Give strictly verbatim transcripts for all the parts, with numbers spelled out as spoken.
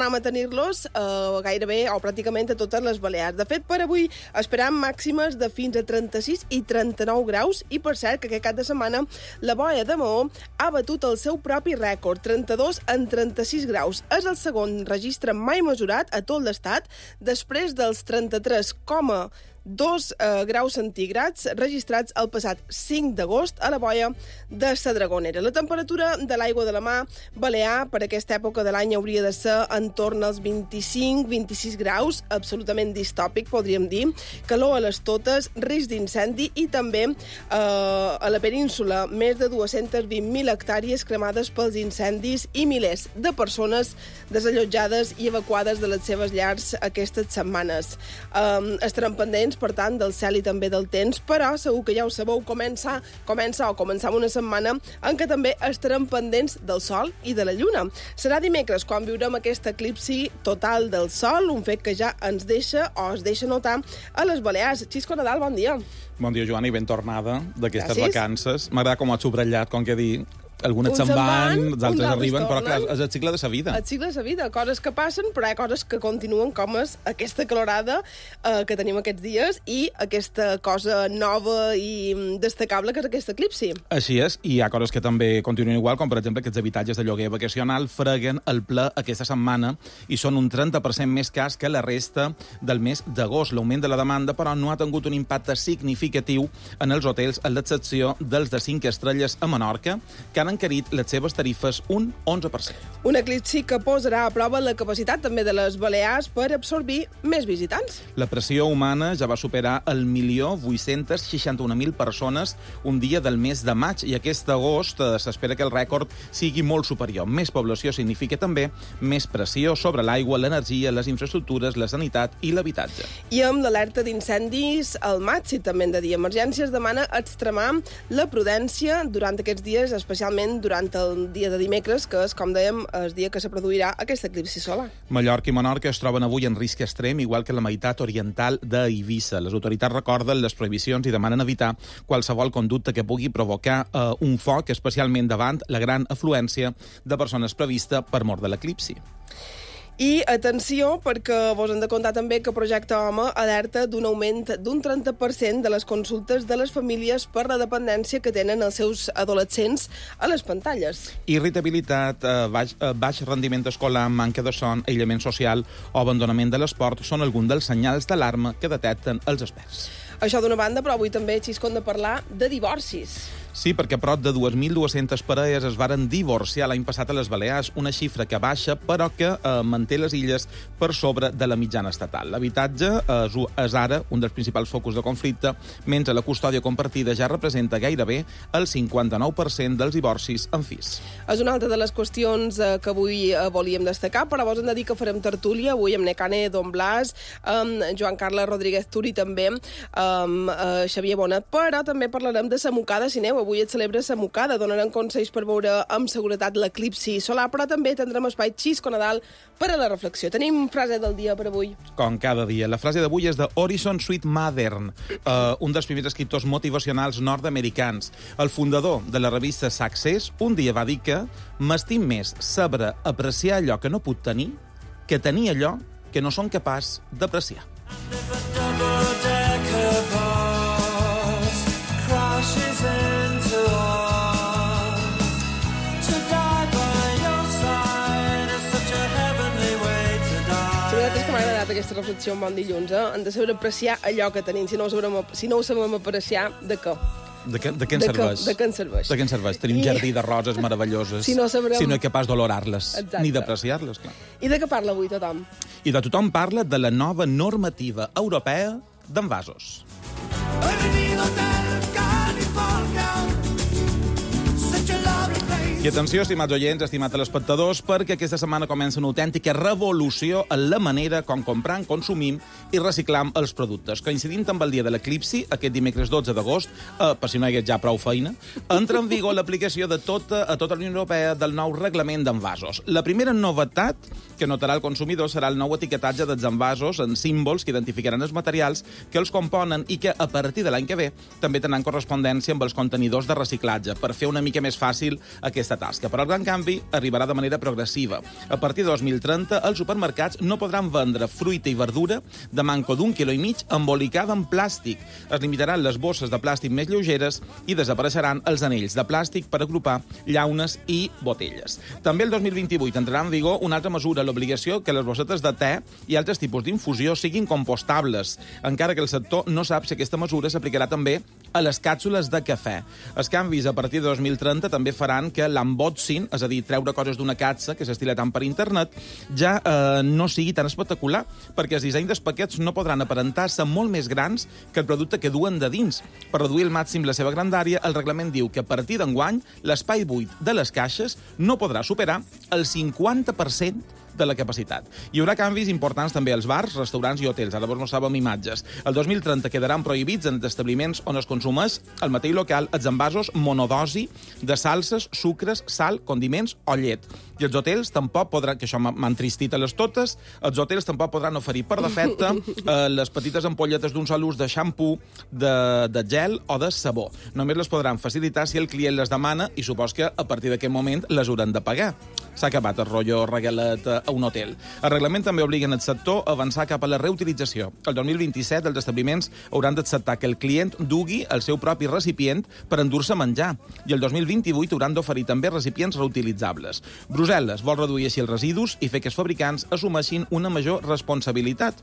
tornem a tenir-los eh, gairebé o pràcticament a totes les Balears. De fet, per avui esperam màximes de fins a trenta-sis i trenta-nou graus i, per cert, que aquest cap de setmana la boia de Maó ha batut el seu propi rècord, trenta-dos en trenta-sis graus. És el segon registre mai mesurat a tot l'estat, després dels trenta-tres coma dos eh, graus centígrads registrats el passat cinc d'agost a la boia de la Dragonera. La temperatura de l'aigua de la mar balear per aquesta època de l'any hauria de ser entorn als vint-i-cinc a vint-i-sis graus, absolutament distòpic, podríem dir, calor a les totes, risc d'incendi i també eh, a la península més de dues-centes vint mil hectàrees cremades pels incendis i milers de persones desallotjades i evacuades de les seves llars aquestes setmanes. Eh, estarem pendents, per tant, del cel i també del temps, però segur que ja ho sabeu, comença, comença o començam una setmana en què també estarem pendents del sol i de la lluna. Serà dimecres quan viurem aquest eclipsi total del sol, un fet que ja ens deixa o es deixa notar a les Balears. Xisco Nadal, bon dia. Bon dia, Joana, i ben tornada d'aquestes Gràcies. vacances. M'agrada com ho has subratllat, com que dir... Algunes se'n van, els altres arriben, però clar, és el cicle de sa vida. El cicle de sa vida, coses que passen, però hi ha coses que continuen, com és aquesta calorada eh, que tenim aquests dies i aquesta cosa nova i destacable que és aquest eclipsi. Així és, i hi ha coses que també continuen igual, com per exemple aquests habitatges de lloguer vacacional freguen el ple aquesta setmana i són un trenta per cent més cars que la resta del mes d'agost. L'augment de la demanda, però, no ha tingut un impacte significatiu en els hotels, a l'excepció dels de cinc estrelles a Menorca, que han encarit les seves tarifes un onze per cent. Un eclipsi que posarà a prova la capacitat també de les Balears per absorbir més visitants. La pressió humana ja va superar el milió vuit-cents seixanta-un mil persones un dia del mes de maig i aquest agost eh, s'espera que el rècord sigui molt superior. Més població significa també més pressió sobre l'aigua, l'energia, les infraestructures, la sanitat i l'habitatge. I amb l'alerta d'incendis al maig, si també hem de dir, Emergències demana extremar la prudència durant aquests dies, especialment durant el dia de dimecres, que és, com dèiem, el dia que se produirà aquest eclipsi solar. Mallorca i Menorca es troben avui en risc extrem, igual que la meitat oriental d'Eivissa. Les autoritats recorden les prohibicions i demanen evitar qualsevol conducta que pugui provocar eh, un foc, especialment davant la gran afluència de persones prevista per mort de l'eclipsi. I atenció, perquè vos hem de contar també que Projecte Home alerta d'un augment d'un trenta per cent de les consultes de les famílies per la dependència que tenen els seus adolescents a les pantalles. Irritabilitat, eh, baix, eh, baix rendiment escolar, manca de son, aïllament social o abandonament de l'esport són alguns dels senyals d'alarma que detecten els experts. Això d'una banda, però avui també, Xisco, hem de parlar de divorcis. Sí, perquè prop de dues mil dues-centes parelles es varen divorciar l'any passat a les Balears, una xifra que baixa, però que eh, manté les illes per sobre de la mitjana estatal. L'habitatge és, és ara un dels principals focus de conflicte, mentre la custòdia compartida ja representa gairebé el cinquanta-nou per cent dels divorcis en fills. És una altra de les qüestions eh, que avui eh, volíem destacar, però vos hem de dir que farem tertúlia avui amb Necane Don Blas, amb Joan Carles Rodríguez Turi també, amb eh, Xavier Bonet, però també parlarem de la mocada, si aneu. Avui es celebra la mocada, donarem consells per veure amb seguretat l'eclipsi solar, però també tindrem espai Xisco Nadal per a la reflexió. Tenim frase del dia per avui. Com cada dia. La frase d'avui és de Horizon Sweet Modern, uh, un dels primers escriptors motivacionals nord-americans. El fundador de la revista Success un dia va dir que m'estim més saber apreciar allò que no puc tenir que tenir allò que no som capaç d'apreciar. Aquesta reflexió un bon dilluns, eh? Hem de saber apreciar allò que tenim. Si no ho sabem, si no ho sabem apreciar, de què? De què, de què en serveix? De què en serveix? De què en serveix? Tenim un jardí de roses meravelloses. Si no sabrem... Si no és capaç d'olorar-les, Exacte. ni d'apreciar-les, clar. I de què parla avui tothom? I de tothom parla de la nova normativa europea d'envasos. I atenció, estimats oients, estimats telespectadors, perquè aquesta setmana comença una autèntica revolució en la manera com compram, consumim i reciclam els productes. Coincidint amb el dia de l'eclipsi, aquest dimecres dotze d'agost, eh, per si no hi hagués ja prou feina, entra en vigor l'aplicació de tota, a tota la Unió Europea del nou reglament d'envasos. La primera novetat que notarà el consumidor serà el nou etiquetatge dels envasos en símbols que identificaran els materials que els componen i que, a partir de l'any que ve, també tindran correspondència amb els contenidors de reciclatge, per fer una mica més fàcil aquesta aquesta tasca. Però el gran canvi arribarà de manera progressiva. A partir de dos mil trenta, els supermercats no podran vendre fruita i verdura de manco d'un quilo i mig embolicada en plàstic. Es limitaran les bosses de plàstic més lleugeres i desapareixeran els anells de plàstic per agrupar llaunes i botelles. També el dos mil vint-i-vuit entrarà en vigor una altra mesura, l'obligació que les bossetes de te i altres tipus d'infusió siguin compostables, encara que el sector no sap si aquesta mesura s'aplicarà també a les càpsules de cafè. Els canvis a partir de dos mil trenta també faran que l'unboxing, és a dir, treure coses d'una capsa que s'estila tant per internet, ja eh, no sigui tan espectacular, perquè els dissenys dels paquets no podran aparentar-se molt més grans que el producte que duen de dins. Per reduir al màxim la seva grandària, el reglament diu que a partir d'enguany l'espai buit de les caixes no podrà superar el cinquanta per cent de la capacitat. Hi haurà canvis importants també als bars, restaurants i hotels. Ara vos mostràvem imatges. El dos mil trenta quedaran prohibits en establiments on es consumeix al mateix local els envasos monodosi de salses, sucres, sal, condiments o llet. I els hotels tampoc podran, que això m'ha entristit a les totes, els hotels tampoc podran oferir per defecte eh, les petites ampolletes d'un sol ús de xampú, de, de gel o de sabó. Només les podran facilitar si el client les demana i supos que a partir d'aquest moment les hauran de pagar. S'ha acabat el rotllo regalet a un hotel. El reglament també obliga el sector a avançar cap a la reutilització. El dos mil vint-i-set els establiments hauran d'acceptar que el client dugui el seu propi recipient per endur-se menjar. I el dos mil vint-i-vuit hauran d'oferir també recipients reutilitzables. Brussel·les vol reduir així els residus i fer que els fabricants assumeixin una major responsabilitat.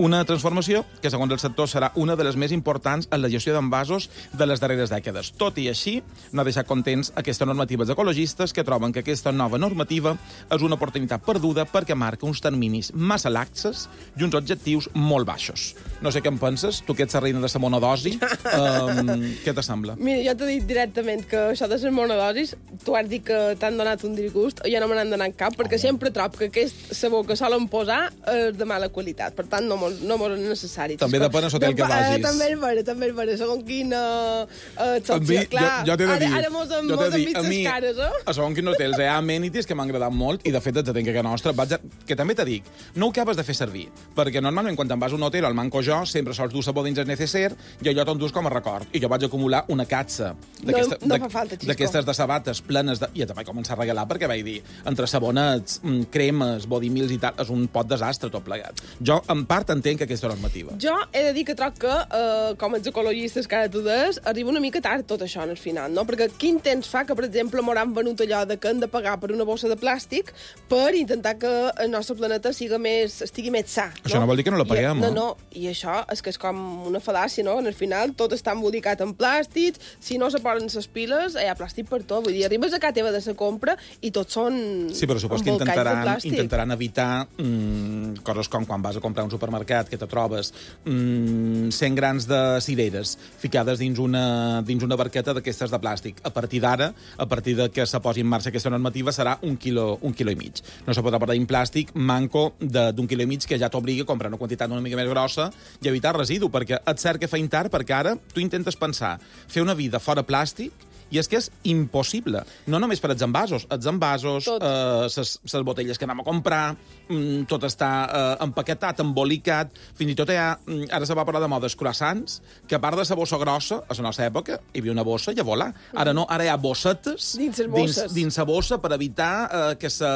Una transformació que, segons el sector, serà una de les més importants en la gestió d'envasos de les darreres dècades. Tot i així, no ha deixat contents aquesta normativa dels ecologistes que troben que aquesta nova normativa és una oportunitat perduda perquè marca uns terminis massa laxes i uns objectius molt baixos. No sé què en penses, tu que ets la reina de la monodosi, um, què te sembla? Mira, jo t'he dit directament que això de les monodosis, tu has dit que t'han donat un disgust, jo no me n'han donat cap, perquè oh. sempre trobo que aquest sabó que solen posar és de mala qualitat, per tant no molt, no molt necessari. També depèn del hotel que vagis. Eh, també és vera, també és vera, segons quina eh, mi, clar, jo, jo t'he de dir, ara, ara mos hem, mos hem vist les cares, eh? A segons quin hotel hi ha amenities que m'han agradat molt i de fet et tenc que nostra, vaig a... que també te dic, no ho acabes de fer servir, perquè normalment quan te'n vas a un hotel, al manco jo, sempre sols dur sabó dins el necesser i allò te'n dus com a record. I jo vaig acumular una catsa d'aquestes no, no de, de sabates plenes de... I ja te vaig començar a regalar perquè vaig dir, entre sabonets, cremes, body mills i tal, és un pot desastre tot plegat. Jo, en part, entenc aquesta normativa. Jo he de dir que troc que, eh, com els ecologistes que ara tu des, arriba una mica tard tot això al final, no? Perquè quin temps fa que, per exemple, m'hauran venut allò de que hem de pagar per una bossa de plàstic per intentar que el nostre planeta siga més, estigui més sa. No? Això no vol dir que no la paguem, I, no, no, i això és que és com una fal·làcia, no? Al final tot està embolicat en plàstic, si no se posen les piles, hi ha plàstic per tot. Vull dir, arribes a casa teva de la compra i tots són sí, però supos que intentaran, intentaran evitar mm, coses com quan vas a comprar un supermercat que te trobes mm, cent grans de cireres ficades dins una, dins una barqueta d'aquestes de plàstic. A partir d'ara, a partir de que se posi en marxa aquesta normativa, serà un quilo, un quilo i mig. No se podrà portar en plàstic manco d'un quilo i mig que ja t'obliga a comprar una quantitat una mica més grossa i evitar residu, perquè et cert que fa tard, perquè ara tu intentes pensar fer una vida fora plàstic i és que és impossible. No només per als envasos. Els envasos, les eh, botelles que anem a comprar, mm, tot està eh, empaquetat, embolicat, fins i tot hi ha, ara se va parlar de modes croissants, que a part de la bossa grossa, a la nostra època, hi havia una bossa i a volar. Ara no, ara hi ha bossetes dins dins, dins la bossa per evitar eh, que, se,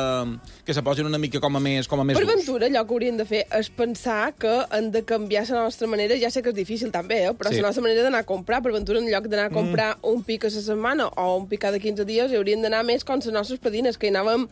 que se posin una mica com a més, com a més per ventura, allò que hauríem de fer és pensar que hem de canviar la nostra manera, ja sé que és difícil també, eh, però sí. La nostra manera d'anar a comprar, per ventura, en lloc d'anar a comprar mm. un pic a la setmana o un pic cada quinze dies, hi haurien d'anar més com les nostres padrines, que hi anàvem,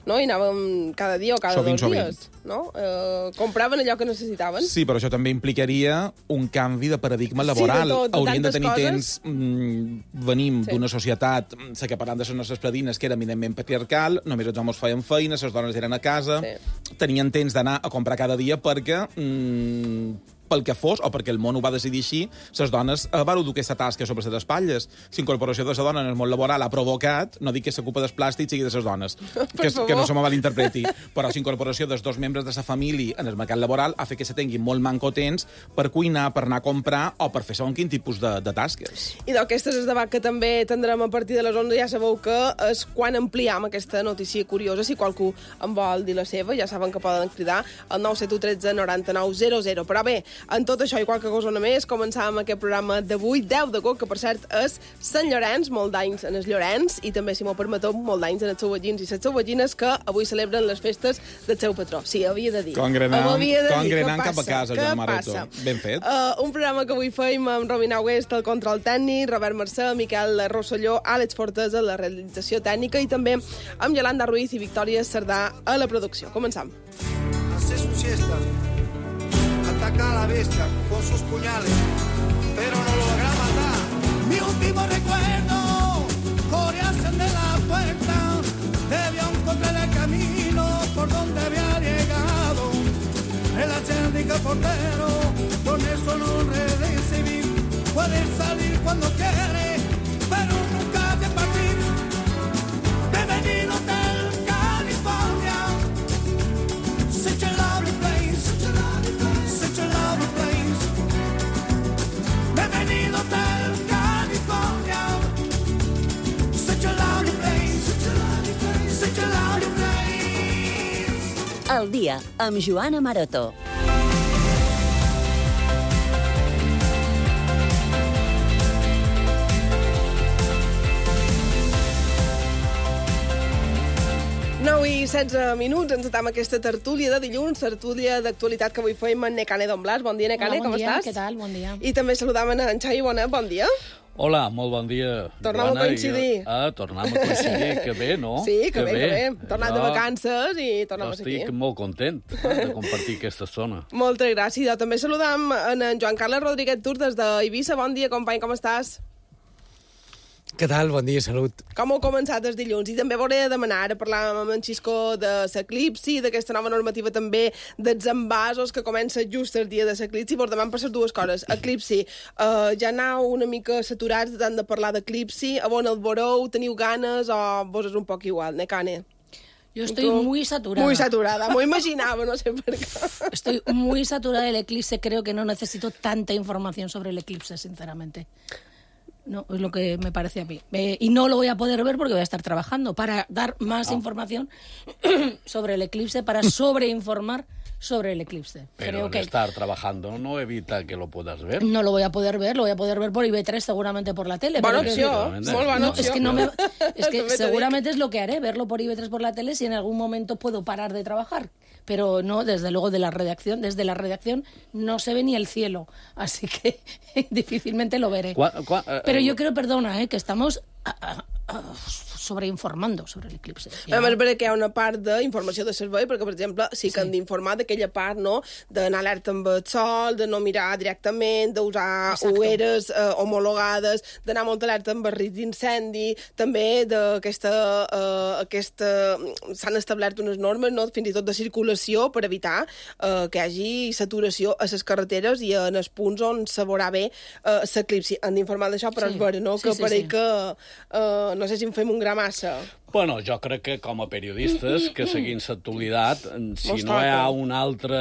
no? hi anàvem cada dia o cada sovint, dos dies. Sovint. No? Eh, compraven allò que necessitaven. Sí, però això també implicaria un canvi de paradigma laboral. Sí, de tot, de Haurien de tenir coses. temps... Mm, venim sí. d'una societat, sé que parlant de les nostres padrines, que era eminentment patriarcal, només els homes feien feina, les dones eren a casa, sí. tenien temps d'anar a comprar cada dia perquè... Mm, pel que fos, o perquè el món ho va decidir així, les dones eh, van dur aquesta tasca sobre les espatlles. La incorporació de la dona en el món laboral ha provocat, no dic que la culpa dels plàstics sigui de les dones, que, que no se me malinterpreti, però la incorporació dels dos membres de la família en el mercat laboral ha fet que se tingui molt manco temps per cuinar, per anar a comprar o per fer segons quin tipus de, de tasques. I d'aquestes és debat que també tindrem a partir de les onze, ja sabeu que és quan ampliam aquesta notícia curiosa. Si qualcú en vol dir la seva, ja saben que poden cridar al nou set u tretze noranta nou zero zero. Però bé, En tot això i qualque cosa més, començàvem aquest programa d'avui, deu d'agost, que per cert és Sant Llorenç, molt d'anys en els Llorenç, i també, si m'ho permeteu, molt d'anys en els seus veïns i les seus veïnes que avui celebren les festes del seu patró. Sí, havia de dir. Congrenant, congrenant cap a casa, Joan Maroto. Ben fet. Uh, un programa que avui feim amb Romina Oest, el control tècnic, Robert Mercè, Miquel Rosselló, Àlex Fortesa, la realització tècnica, i també amb Yolanda Ruiz i Victòria Cerdà a la producció. Començam. Hace su siesta, ataca a la bestia con sus puñales, pero no logra matar. Mi último recuerdo, corearse de la puerta, debió encontrar el camino por donde había llegado. El acérdico portero, con eso no recibí, puede salir cuando quiere, pero nunca de partir. Bienvenido del California. Such a lovely place, such a lovely place, such a lovely place. Bienvenido del California. Such a lovely place, such a lovely place, such a lovely place. El dia amb Joana Maroto. nou i setze minuts, ens atam aquesta tertúlia de dilluns, tertúlia d'actualitat que avui feim amb Necane Don Blas. Bon dia, Necane, Hola, bon com dia, estàs? què tal? Bon dia. I també saludam en Xavi Bonet, bon dia. Hola, molt bon dia. Tornem Joana, a coincidir. Jo... Ah, tornem a coincidir, que bé, no? Sí, que, que bé, que bé. Tornat jo... de vacances i tornem a ser aquí. Estic molt content de compartir aquesta estona. Moltes gràcies. Jo també saludam en Joan Carles Rodríguez Tur des d'Eivissa. Bon dia, company, com estàs? Què tal? Bon dia, salut. Com heu començat els dilluns? I també volia demanar, ara parlàvem amb en Xisco de l'eclipsi, d'aquesta nova normativa també dels envasos que comença just el dia de l'eclipsi. Vos demanem per les dues coses. Eclipsi, uh, ja aneu una mica saturats de tant de parlar d'eclipsi, a on el veureu, teniu ganes o vos és un poc igual, Necane? Yo estoy muy saturada. Muy saturada, m'ho imaginava, no sé per qué. Estoy muy saturada del eclipse, creo que no necesito tanta información sobre el eclipse, sinceramente. No, es lo que me parece a mí. Eh, y no lo voy a poder ver porque voy a estar trabajando para dar más oh. información sobre el eclipse, para sobreinformar sobre el eclipse. Pero Creo el que estar trabajando no evita que lo puedas ver. no lo voy a poder ver, lo voy a poder ver por I B tres, seguramente por la tele. Bona pero opció, Efectivamente. molt bona no, opció. es que, no me, es que També t'ho seguramente es lo que haré, verlo por I B tres por la tele, si en algún momento puedo parar de trabajar. Pero no, desde luego, de la redacción, desde la redacción no se ve ni el cielo, así que difícilmente lo veré. Qua, qua, eh, Pero yo creo, perdona, eh, que estamos a, a, a, sobreinformando sobre el eclipse. Ja. A més, perquè hi ha una part d'informació de servei, perquè, per exemple, sí que sí. han d'informar d'aquella part, no?, d'anar alerta amb el sol, de no mirar directament, d'usar ulleres eh, homologades, d'anar molt alerta amb el risc d'incendi, també d'aquesta... Eh, aquesta... s'han establert unes normes, no?, fins i tot de circulació per evitar eh, que hi hagi saturació a les carreteres i en els punts on se veurà bé eh, l'eclipsi. Han d'informar d'això, però Sí. és vera, no?, Sí, que sí, pareix sí. que... Eh, no sé si en fem un gra massa. Bueno, jo crec que com a periodistes que seguim l'actualitat, si Mos no hi ha toca. un altre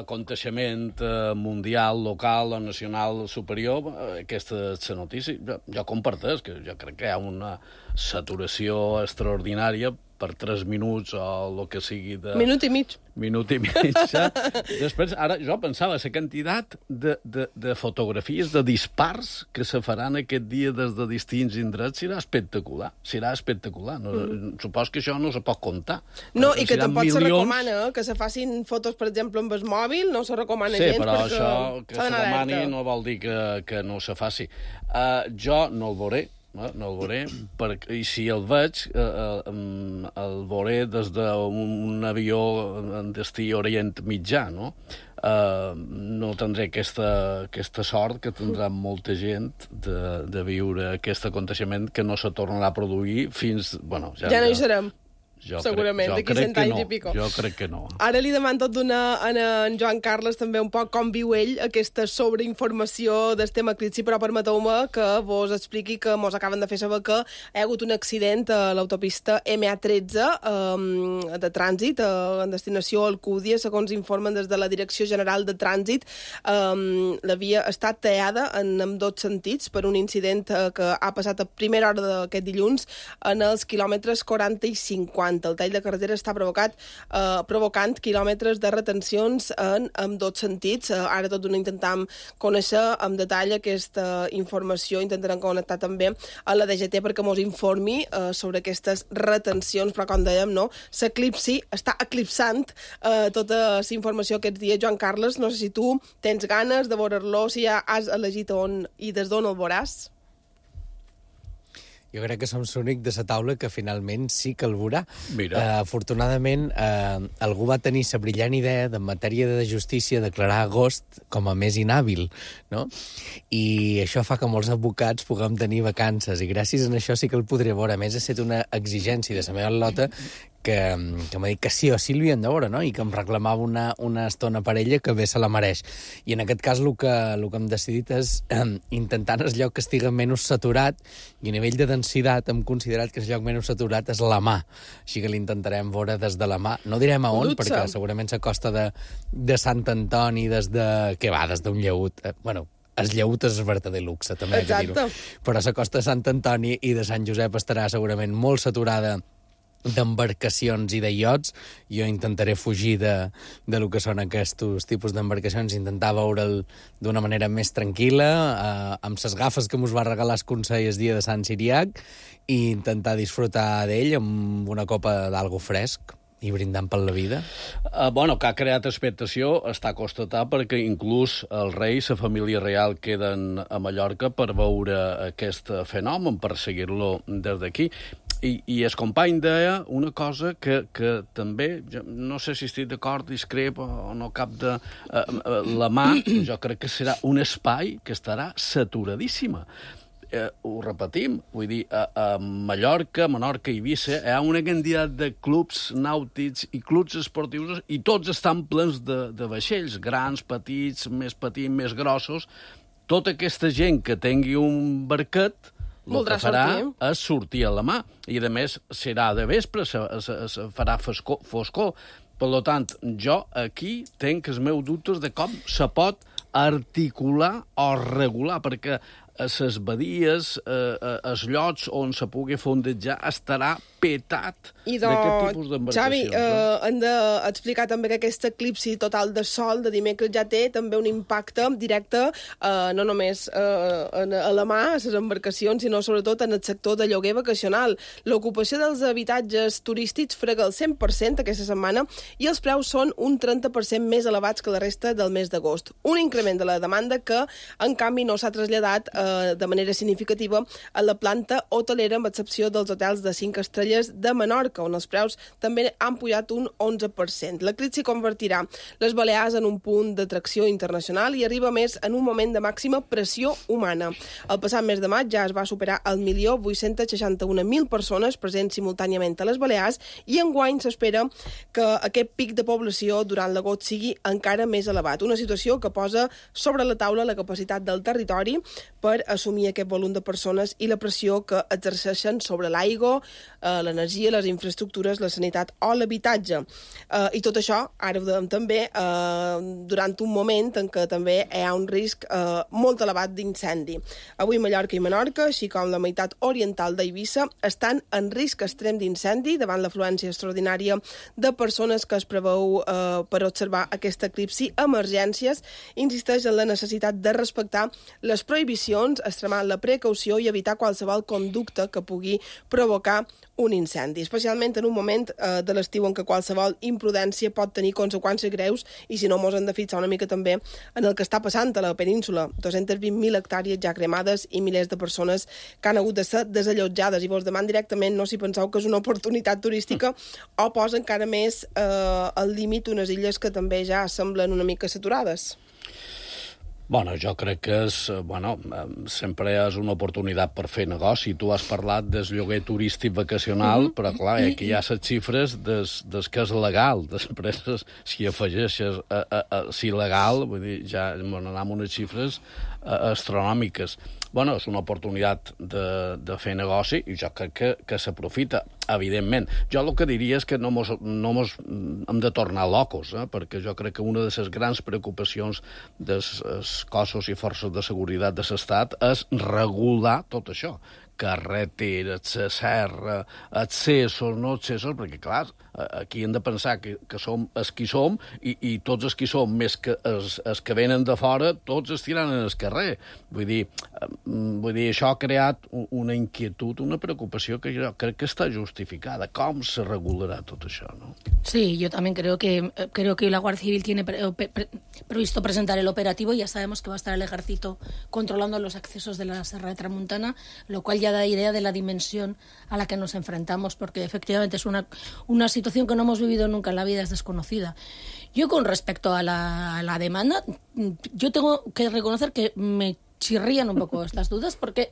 aconteixement eh, mundial, local o nacional superior, eh, aquesta és la notícia. Jo, jo comparteix que jo crec que hi ha una saturació extraordinària per tres minuts o el que sigui de... Minut i mig. Minut i mig. Després, ara jo pensava, la quantitat de, de, de fotografies, de dispars que se faran aquest dia des de distints indrets serà espectacular. Serà espectacular. No, mm. Supos que això no se pot comptar. No, i que Seran tampoc se milions. recomana que se facin fotos, per exemple, amb el mòbil, no se recomana Sí, gens però perquè això que s'ha se d'anar demani alerta. no vol dir que, que no se faci. Uh, jo no el veuré, no, no el veuré, perquè, i si el veig, eh, eh, el veuré des d'un un avió en destí Orient Mitjà, no? Uh, no tindré aquesta, aquesta sort que tindrà molta gent de, de viure aquest aconteixement que no se tornarà a produir fins... Bueno, ja, Ja no hi serem. Jo segurament, crec, d'aquí jo crec cent que anys no. i pico. Jo crec que no. Ara li demano tot d'una a en Joan Carles també un poc com viu ell aquesta sobreinformació del tema eclipsi, però permeteu-me que vos expliqui que mos acaben de fer saber que hi ha hagut un accident a l'autopista M A tretze um, de trànsit uh, en destinació a Alcúdia, segons informen des de la Direcció General de Trànsit. Um, la via ha estat tallada en ambdós sentits per un incident uh, que ha passat a primera hora d'aquest dilluns en els quilòmetres quaranta i cinquanta. cinquanta. El tall de carretera està provocat, eh, provocant quilòmetres de retencions en, en dos sentits. Eh, ara tot d'una intentam conèixer amb detall aquesta informació, intentarem connectar també a la D G T perquè mos informi eh, sobre aquestes retencions, però com dèiem, no, s'eclipsi, està eclipsant eh, tota la informació aquests dies. Joan Carles, no sé si tu tens ganes de veure-lo, si ja has elegit on i des d'on el veuràs. Jo crec que som l'únic de la taula que finalment sí que el veurà. Mira. Uh, afortunadament, uh, algú va tenir la brillant idea de, en matèria de justícia, declarar agost com a mes inhàbil, no? I això fa que molts advocats puguem tenir vacances, i gràcies a això sí que el podré veure. A més, ha estat una exigència de la meva lota que, que m'ha dit que sí o sí l'havien de veure, no? I que em reclamava una, una estona per ella que bé se la mereix. I en aquest cas el que, el que hem decidit és eh, intentar en el lloc que estigui menys saturat, i a nivell de densitat hem considerat que el lloc menys saturat és la mà. Així que l'intentarem veure des de la mà. No direm a on, Lutza. perquè segurament la costa de, de Sant Antoni, des de... Què va? Des d'un lleut. Eh, bueno, el lleut és verdader luxe, també hay que dir-ho. Però la costa de Sant Antoni i de Sant Josep estarà segurament molt saturada d'embarcacions i de iots. Jo intentaré fugir de, de lo que són aquests tipus d'embarcacions, intentar veure'l d'una manera més tranquil·la, eh, amb ses gafes que mos va regalar el Consell el dia de Sant Siriac, i intentar disfrutar d'ell amb una copa d'algo fresc i brindant per la vida. Uh, bueno, que ha creat expectació, està a constatar, perquè inclús el rei i la família real queden a Mallorca per veure aquest fenomen, per seguir-lo des d'aquí. I, i el company deia una cosa que, que també, jo no sé si estic d'acord, discrep o no cap de... Uh, uh, la mà, jo crec que serà un espai que estarà saturadíssima. Eh, ho repetim, vull dir, a, a Mallorca, Menorca i Eivissa hi ha una quantitat de clubs nàutics i clubs esportius i tots estan plens de, de vaixells, grans, petits, més petits, més grossos. Tota aquesta gent que tingui un barquet el que farà sortir. és sortir a la mà. I, a més, serà de vespre, se, se, se farà foscor, foscor. Per tant, jo aquí tinc els meus dubtes de com se pot articular o regular, perquè a les badies, eh, els llocs on se pugui fondejar, estarà petat d'aquest tipus d'embarcacions. Xavi, eh, hem d'explicar també que aquest eclipsi total de sol de dimecres ja té també un impacte directe, eh, no només eh, a la mà, a les embarcacions, sinó sobretot en el sector de lloguer vacacional. L'ocupació dels habitatges turístics frega el cent per cent aquesta setmana i els preus són un trenta per cent més elevats que la resta del mes d'agost. Un increment de la demanda que, en canvi, no s'ha traslladat eh, de manera significativa a la planta hotelera, amb excepció dels hotels de cinc estrelles de Menorca, on els preus també han pujat un onze per cent. L'eclipsi convertirà les Balears en un punt d'atracció internacional i arriba més en un moment de màxima pressió humana. El passat mes de maig ja es va superar el milió vuit-cents seixanta-un mil persones presents simultàniament a les Balears, i enguany s'espera que aquest pic de població durant l'agost sigui encara més elevat. Una situació que posa sobre la taula la capacitat del territori per assumir aquest volum de persones i la pressió que exerceixen sobre l'aigua, eh, l'energia, les infraestructures, la sanitat o l'habitatge. Eh, I tot això, ara ho dèiem també, eh, durant un moment en què també hi ha un risc eh, molt elevat d'incendi. Avui Mallorca i Menorca, així com la meitat oriental d'Eivissa, estan en risc extrem d'incendi davant l'afluència extraordinària de persones que es preveu eh, per observar aquest eclipsi. Emergències insisteix en la necessitat de respectar les prohibicions, extremar la precaució i evitar qualsevol conducta que pugui provocar un incendi, especialment en un moment eh, de l'estiu en què qualsevol imprudència pot tenir conseqüències greus, i si no mos hem de fixar una mica també en el que està passant a la península. dos-centes vint mil hectàrees ja cremades i milers de persones que han hagut de ser desallotjades, i vos deman directament no si penseu que és una oportunitat turística o posa encara més eh, al límit unes illes que també ja semblen una mica saturades. Bueno, jo crec que és, bueno, sempre és una oportunitat per fer negoci. Tu has parlat del lloguer turístic vacacional, però clar, aquí hi ha les xifres des, des que és legal. Després, si afegeixes a, a, a, si legal, vull dir, ja anem amb unes xifres a, astronòmiques. Bueno, és una oportunitat de, de fer negoci i jo crec que, que s'aprofita, evidentment. Jo el que diria és que no mos, no mos hem de tornar locos, eh? Perquè jo crec que una de les grans preocupacions dels cossos i forces de seguretat de l'Estat és regular tot això, carreteres, la serra, accessos, no accessos, perquè, clar, aquí hem de pensar que, que som els qui som i, i tots els qui som, més que els, els que venen de fora, tots es tiraran al carrer. Vull dir, vull dir, això ha creat una inquietud, una preocupació que jo crec que està justificada. Com se regularà tot això, no? Sí, yo también creo que creo que la Guardia Civil tiene pre, pre, pre, previsto presentar el operativo y ya sabemos que va a estar el ejército controlando los accesos de la Serra de Tramuntana, lo cual ya da idea de la dimensión a la que nos enfrentamos, porque efectivamente es una, una situación que no hemos vivido nunca en la vida, es desconocida. Yo con respecto a la, a la demanda, yo tengo que reconocer que me chirrían un poco estas dudas porque,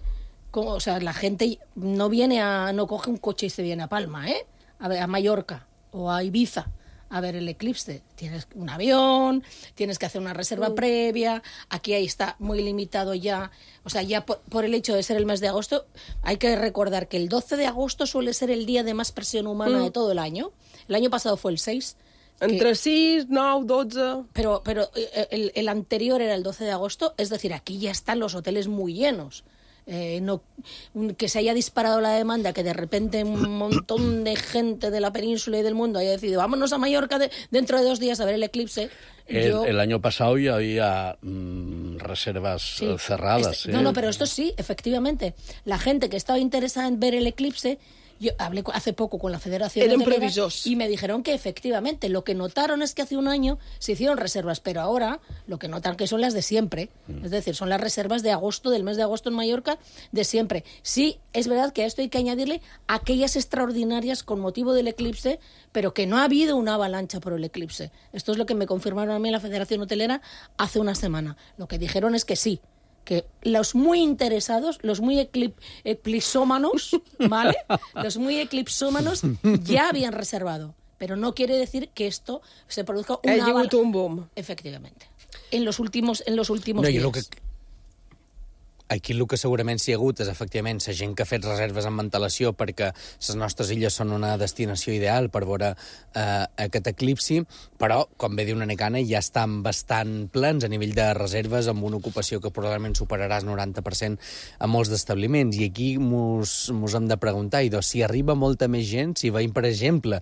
como, o sea, la gente no viene a, no coge un coche y se viene a Palma, ¿eh? A ver, a Mallorca o a Ibiza a ver el eclipse. Tienes un avión, tienes que hacer una reserva mm. previa, aquí ahí está muy limitado ya, o sea, ya por, por el hecho de ser el mes de agosto, hay que recordar que el doce de agosto suele ser el día de más presión humana mm. de todo el año. El año pasado fue el seis. Entre que, seis, nueve, doce... Pero, pero el, el anterior era el doce de agosto, es decir, aquí ya están los hoteles muy llenos. Eh, no, que se haya disparado la demanda, que de repente un montón de gente de la península y del mundo haya decidido vámonos a Mallorca de, dentro de dos días a ver el eclipse. El, yo... el año pasado ya había mmm, reservas sí. cerradas. Este, ¿eh? No, no, pero esto sí, efectivamente. La gente que estaba interesada en ver el eclipse, yo hablé hace poco con la Federación Eran Hotelera previsos. Y me dijeron que efectivamente lo que notaron es que hace un año se hicieron reservas, pero ahora lo que notan que son las de siempre, mm. es decir, son las reservas de agosto, del mes de agosto en Mallorca, de siempre. Sí, es verdad que a esto hay que añadirle aquellas extraordinarias con motivo del eclipse, pero que no ha habido una avalancha por el eclipse. Esto es lo que me confirmaron a mí en la Federación Hotelera hace una semana. Lo que dijeron es que sí, que los muy interesados, los muy eclip, eclipsómanos, ¿vale? Los muy eclipsómanos ya habían reservado. Pero no quiere decir que esto se produzca una avalancha. Un boom. Efectivamente. En los últimos, en los últimos no, días. Lo que... Aquí el que segurament s'hi ha hagut és, efectivament, la gent que ha fet reserves amb antelació perquè les nostres illes són una destinació ideal per veure eh, aquest eclipsi, però, com bé diu una Necana, ja estan bastant plens a nivell de reserves, amb una ocupació que probablement superarà el noranta per cent a molts d'establiments. I aquí mos, mos hem de preguntar, i doncs, si arriba molta més gent, si veiem, per exemple,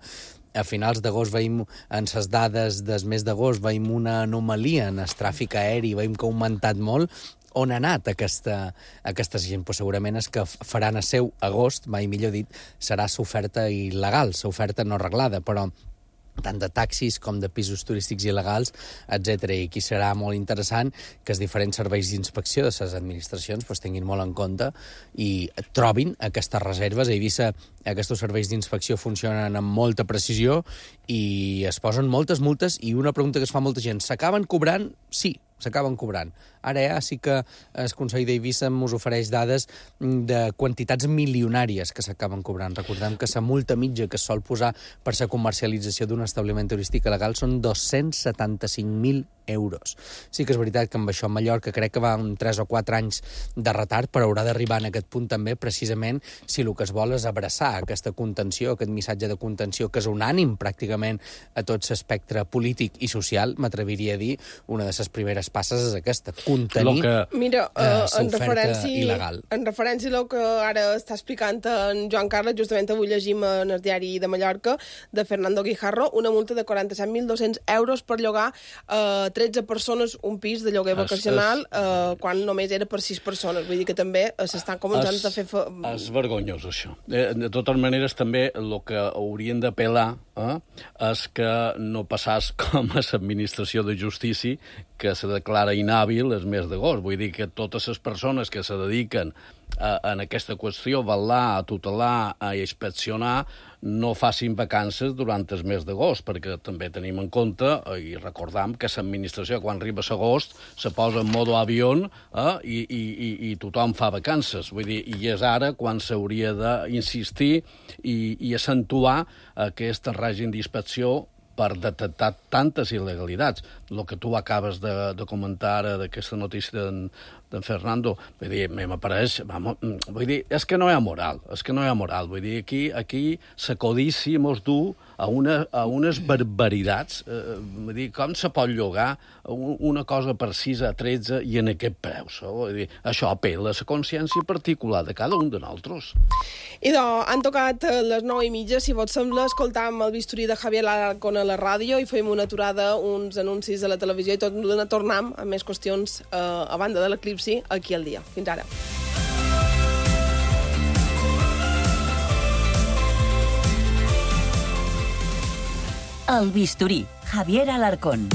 a finals d'agost veiem, en les dades del mes d'agost, veiem una anomalia en el tràfic aeri, veiem que ha augmentat molt, on ha anat aquesta, aquesta gent? Pues segurament és que faran a seu agost, mai millor dit, serà l'oferta il·legal, l'oferta no arreglada, però tant de taxis com de pisos turístics il·legals, etcètera. I aquí serà molt interessant que els diferents serveis d'inspecció de les administracions pues, tinguin molt en compte i trobin aquestes reserves. A Eivissa aquests serveis d'inspecció funcionen amb molta precisió i es posen moltes multes, i una pregunta que es fa molta gent, s'acaben cobrant? Sí, s'acaben cobrant. Ara ja sí que el Consell d'Eivissa ens ofereix dades de quantitats milionàries que s'acaben cobrant. Recordem que la multa mitja que es sol posar per la comercialització d'un establiment turístic il·legal són dos-cents setanta-cinc mil euros. Sí que és veritat que amb això a Mallorca crec que va un tres o quatre anys de retard, però haurà d'arribar en aquest punt també precisament si el que es vol és abraçar aquesta contenció, aquest missatge de contenció que és unànim pràcticament a tot l'espectre polític i social, m'atreviria a dir, una de les primeres passes és aquesta, contenir que... Mira, uh, uh, en referència il·legal. En referència al que ara està explicant en Joan Carles, justament avui llegim en el diari de Mallorca de Fernando Guijarro una multa de quaranta-set mil dos-cents euros per llogar uh, tretze persones un pis de lloguer vacacional es, es, uh, quan només era per sis persones. Vull dir que també s'estan començant es, a fer... Fa... És vergonyós, això. De totes maneres, també el que haurien d'apel·lar eh, és que no passàs com a l'administració de justícia, que se declara inhàbil el mes d'agost. Vull dir que totes les persones que se dediquen a, en aquesta qüestió, a velar, a tutelar, a inspeccionar, no facin vacances durant el mes d'agost, perquè també tenim en compte, i recordam, que l'administració, quan arriba a l'agost, se posa en modo avió eh, i, i, i tothom fa vacances. Vull dir, i és ara quan s'hauria d'insistir i, i accentuar aquest règim d'inspecció per detectar tantes il·legalitats. El que tu acabes de, de comentar ara d'aquesta notícia d'en, d'en Fernando, vull dir, m'apareix, vamos, vull dir, és que no hi ha moral, és que no hi ha moral, vull dir, aquí, aquí la codícia mos du a, una, a unes barbaritats, eh, vull dir, com se pot llogar una cosa per sis a tretze i en aquest preu, vull dir, això apel·la a la consciència particular de cada un de nosaltres. I doncs, han tocat les nou i mitja, si vos sembla, escoltam el bisturí de Javier Alarcón a la ràdio i fem una aturada, uns anuncis a la televisió i tot tornem amb més qüestions eh, a banda de l'eclipsi aquí al dia. Fins ara. El bisturí, Javier Alarcón.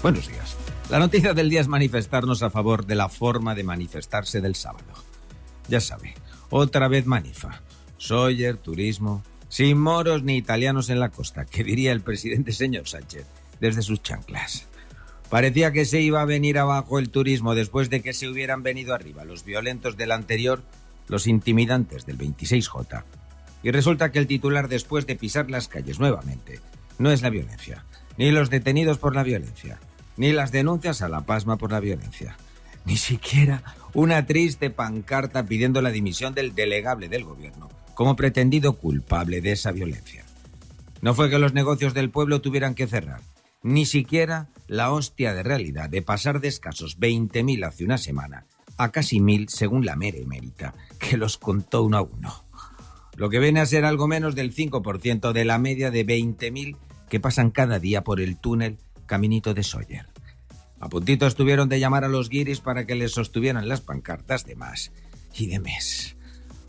Buenos días. La noticia del día es manifestarnos a favor de la forma de manifestarse del sábado. Ya sabe, otra vez Manifa. Sóller, turismo, sin moros ni italianos en la costa, que diría el presidente señor Sánchez, desde sus chanclas. Parecía que se iba a venir abajo el turismo después de que se hubieran venido arriba los violentos del anterior, los intimidantes del veintiséis J. Y resulta que el titular, después de pisar las calles nuevamente, no es la violencia, ni los detenidos por la violencia, ni las denuncias a la pasma por la violencia, ni siquiera una triste pancarta pidiendo la dimisión del delegable del gobierno como pretendido culpable de esa violencia. No fue que los negocios del pueblo tuvieran que cerrar, ni siquiera la hostia de realidad de pasar de escasos veinte mil hace una semana a casi mil según la mera emérita, que los contó uno a uno. Lo que viene a ser algo menos del cinco por ciento de la media de veinte mil que pasan cada día por el túnel Caminito de Sóller. A puntito estuvieron de llamar a los guiris para que les sostuvieran las pancartas de más y de mes.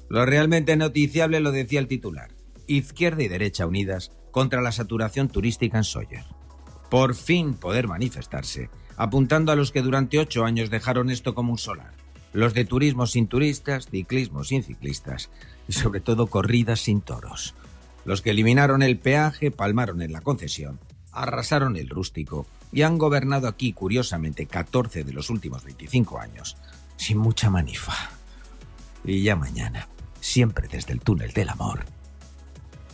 Lo realmente noticiable lo decía el titular. Izquierda y derecha unidas contra la saturación turística en Sóller. Por fin poder manifestarse, apuntando a los que durante ocho años dejaron esto como un solar. Los de turismo sin turistas, ciclismo sin ciclistas y sobre todo corridas sin toros. Los que eliminaron el peaje, palmaron en la concesión, arrasaron el rústico y han gobernado aquí, curiosamente, catorce de los últimos veinticinco años, sin mucha manifa. Y ya mañana, siempre desde el túnel del amor,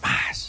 más.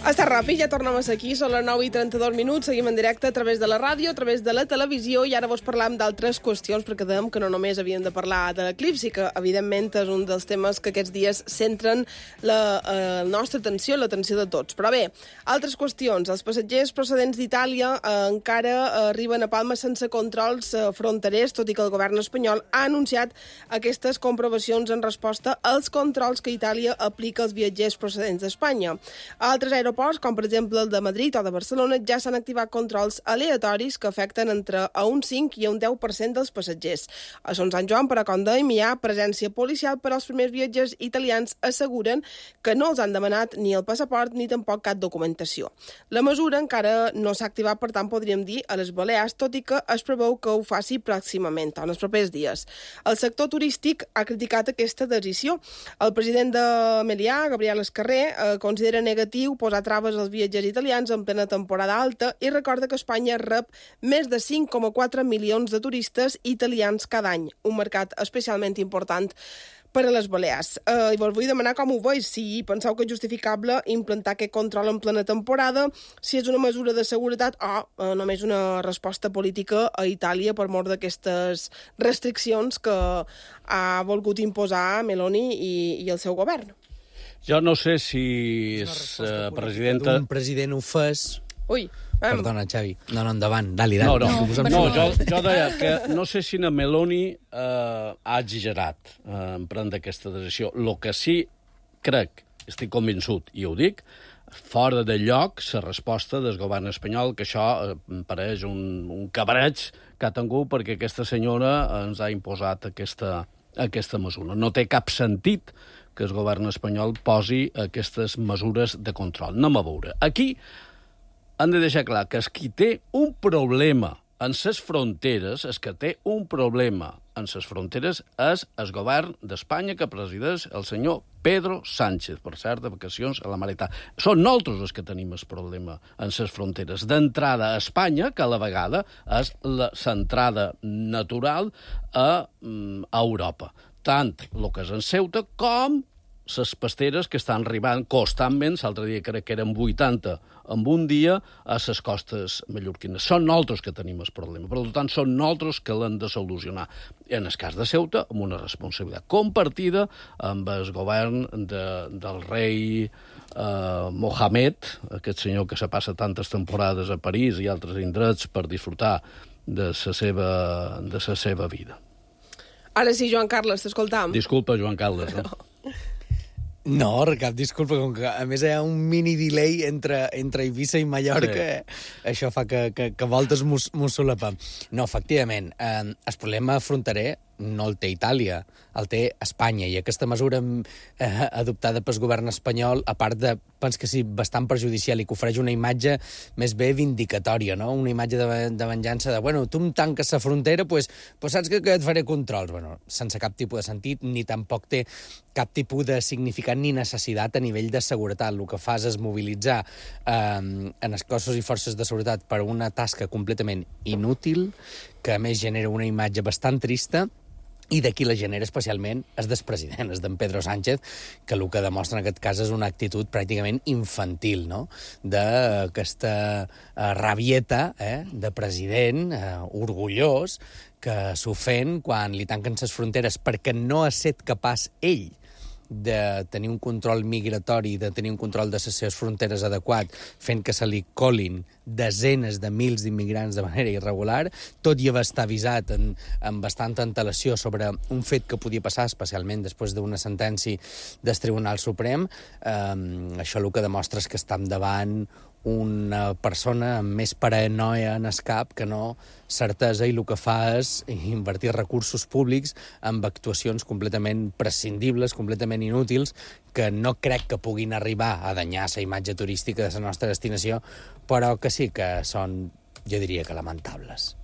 Està ràpid, ja tornem a ser aquí, són les nou i trenta-dos minuts, seguim en directe a través de la ràdio, a través de la televisió, i ara vos parlam d'altres qüestions, perquè dèiem que no només havíem de parlar de l'eclipsi, que evidentment és un dels temes que aquests dies centren la eh, nostra atenció, l'atenció de tots. Però bé, altres qüestions. Els passatgers procedents d'Itàlia eh, encara arriben a Palma sense controls eh, fronterers, tot i que el govern espanyol ha anunciat aquestes comprovacions en resposta als controls que Itàlia aplica als viatgers procedents d'Espanya. Altres aeroports com per exemple el de Madrid o de Barcelona, ja s'han activat controls aleatoris que afecten entre a un cinc i a un deu per cent dels passatgers. A Son Sant Joan, però, com dèiem, hi ha presència policial, però els primers viatgers italians asseguren que no els han demanat ni el passaport ni tampoc cap documentació. La mesura encara no s'ha activat, per tant, podríem dir a les Balears, tot i que es preveu que ho faci pròximament, en els propers dies. El sector turístic ha criticat aquesta decisió. El president de Melià, Gabriel Escarrer, eh, considera negatiu posar traves als viatgers italians en plena temporada alta i recorda que Espanya rep més de cinc coma quatre milions de turistes italians cada any, un mercat especialment important per a les Balears. Eh, I vos vull demanar com ho veus, si penseu que és justificable implantar aquest control en plena temporada, si és una mesura de seguretat o eh, només una resposta política a Itàlia per mort d'aquestes restriccions que ha volgut imposar Meloni i, i el seu govern. Jo no sé si és uh, presidenta... Un president ho fes... Ui, em... Perdona, Xavi. No, no, endavant. Dali, dali. No, no, no, no jo, jo deia que no sé si na Meloni uh, ha exagerat uh, en prendre aquesta decisió. El que sí crec, estic convençut, i ho dic, fora de lloc la resposta del govern espanyol, que això uh, em pareix un, un cabreig que ha tingut perquè aquesta senyora ens ha imposat aquesta, aquesta mesura. No té cap sentit que el govern espanyol posi aquestes mesures de control. Anem a veure. Aquí han de deixar clar que el qui té un problema en les fronteres, el que té un problema en les fronteres és el govern d'Espanya que presideix el senyor Pedro Sánchez, per cert, de vacacions a la Maretà. Són nosaltres els que tenim el problema en les fronteres. D'entrada a Espanya, que a la vegada és l'entrada natural a, a Europa. Tant el que és en Ceuta com les pasteres que estan arribant constantment, l'altre dia crec que eren vuitanta en un dia, a les costes mallorquines. Són nosaltres que tenim el problema. Per tant, són nosaltres que l'hem de solucionar. En el cas de Ceuta, amb una responsabilitat compartida amb el govern de, del rei eh, Mohamed, aquest senyor que se passa tantes temporades a París i altres indrets per disfrutar de la seva, de la seva vida. Ara sí, Joan Carles, t'escoltam. Disculpa, Joan Carles. Eh? No. No, cap disculpa, com que a més hi ha un mini delay entre, entre Eivissa i Mallorca, sí. eh? Això fa que, que, que voltes m'ho solapem. No, efectivament, eh, el problema fronterer no el té Itàlia, el té Espanya, i aquesta mesura eh, adoptada pel govern espanyol, a part de, pens que sí, bastant perjudicial i que ofereix una imatge més bé vindicatòria, no? Una imatge de, de venjança de, bueno, tu em tanques la frontera, doncs pues, pues saps que, que et faré controls. Bueno, sense cap tipus de sentit, ni tampoc té cap tipus de significat ni necessitat a nivell de seguretat. El que fas és mobilitzar eh, en els cossos i forces de seguretat per una tasca completament inútil, que a més genera una imatge bastant trista, i d'aquí la genera especialment és del president, és d'en Pedro Sánchez, que el que demostra en aquest cas és una actitud pràcticament infantil, no? D'aquesta eh, rabieta eh, de president eh, orgullós que s'ofèn quan li tanquen les fronteres perquè no ha estat capaç ell de tenir un control migratori, de tenir un control de les seves fronteres adequat, fent que se li colin desenes de mils d'immigrants de manera irregular, tot i haver estat avisat en, en bastanta antelació sobre un fet que podia passar, especialment després d'una sentència del Tribunal Suprem. Eh, això el que demostra és que estem davant una persona amb més paranoia en el cap que no certesa, i el que fa és invertir recursos públics en actuacions completament prescindibles, completament inútils, que no crec que puguin arribar a danyar la imatge turística de la nostra destinació, però que sí que són, jo diría que lamentables.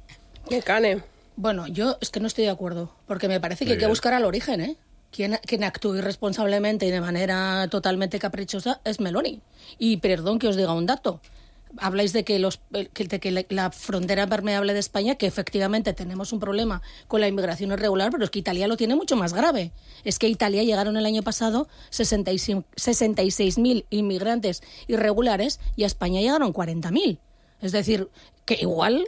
¿Qué cane? Bueno, yo es que no estoy de acuerdo, porque me parece que hay que buscar al origen, ¿eh? Quien, quien actúa irresponsablemente y de manera totalmente caprichosa es Meloni. Y perdón que os diga un dato. Habláis de que, los, que, de que la, la frontera permeable de España, que efectivamente tenemos un problema con la inmigración irregular, pero es que Italia lo tiene mucho más grave. Es que Italia llegaron el año pasado sesenta y seis mil inmigrantes irregulares y a España llegaron cuarenta mil. Es decir, que igual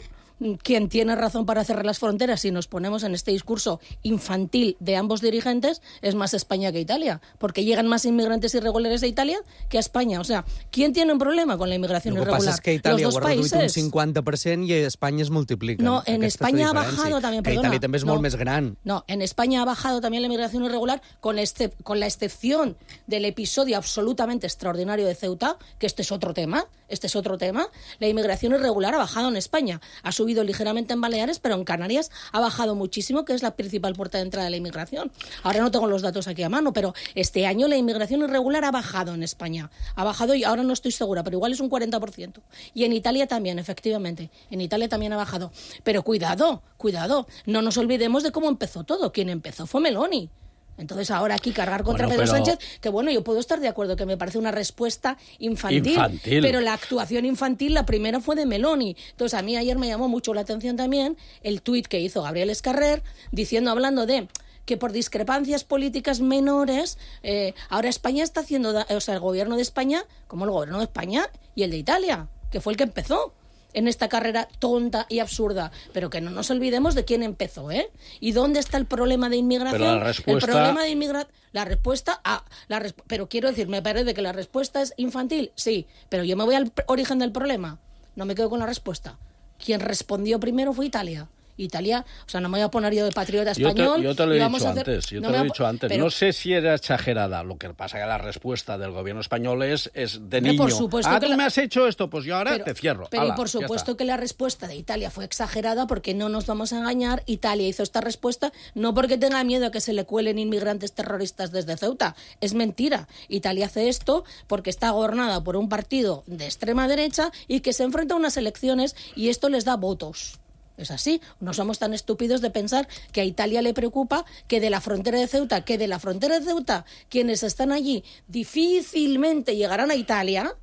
quien tiene razón para cerrar las fronteras, si nos ponemos en este discurso infantil de ambos dirigentes, es más España que Italia, porque llegan más inmigrantes irregulares a Italia que a España. O sea, ¿quién tiene un problema con la inmigración irregular? Lo que pasa es que Italia Los dos ho ha reduït países. un cinquanta per cent i a Espanya es multiplica. No, en Aquesta España ha diferència. bajado también, que perdona. Italia també és no, molt més gran. No, en España ha bajado también la inmigración irregular, con, este, con la excepción del episodio absolutamente extraordinario de Ceuta, que este es otro tema, este es otro tema. La inmigración irregular ha bajado en España, ha subido ligeramente en Baleares, pero en Canarias ha bajado muchísimo, que es la principal puerta de entrada de la inmigración. Ahora no tengo los datos aquí a mano, pero este año la inmigración irregular ha bajado en España. Ha bajado, y ahora no estoy segura, pero igual es un cuarenta por ciento. Y en Italia también, efectivamente. En Italia también ha bajado. Pero cuidado, cuidado. No nos olvidemos de cómo empezó todo. Quien empezó fue Meloni. Entonces ahora aquí cargar contra bueno, Pedro pero... Sánchez, que bueno, yo puedo estar de acuerdo que me parece una respuesta infantil, infantil, pero la actuación infantil, la primera fue de Meloni. Entonces a mí ayer me llamó mucho la atención también el tuit que hizo Gabriel Escarrer, diciendo, hablando de que por discrepancias políticas menores, eh, ahora España está haciendo, da- o sea, el gobierno de España, como el gobierno de España y el de Italia, que fue el que empezó en esta carrera tonta y absurda, pero que no nos olvidemos de quién empezó, ¿eh? ¿Y dónde está el problema de inmigración? Pero la respuesta... El problema de inmigración... La respuesta... Ah, la resp- pero quiero decir, me parece que la respuesta es infantil, sí, pero yo me voy al pr- origen del problema. No me quedo con la respuesta. Quien respondió primero fue Italia. Italia, o sea, no me voy a poner yo de patriota Yo te, español. yo te lo he y vamos dicho a hacer- antes, yo no te me lo he voy a- dicho antes. pero- No sé si era exagerada, lo que pasa que la respuesta del gobierno español es, es de Hombre, niño. por supuesto ah, que tú la- me has hecho esto, pues yo ahora Pero- te cierro. Pero Ala, y por ya supuesto está. que la respuesta de Italia fue exagerada, porque no nos vamos a engañar. Italia hizo esta respuesta no porque tenga miedo a que se le cuelen inmigrantes terroristas desde Ceuta. Es mentira. Italia hace esto porque está gobernada por un partido de extrema derecha y que se enfrenta a unas elecciones y esto les da votos. Es así, no somos tan estúpidos de pensar que a Italia le preocupa que de la frontera de Ceuta, que de la frontera de Ceuta, quienes están allí difícilmente llegarán a Italia,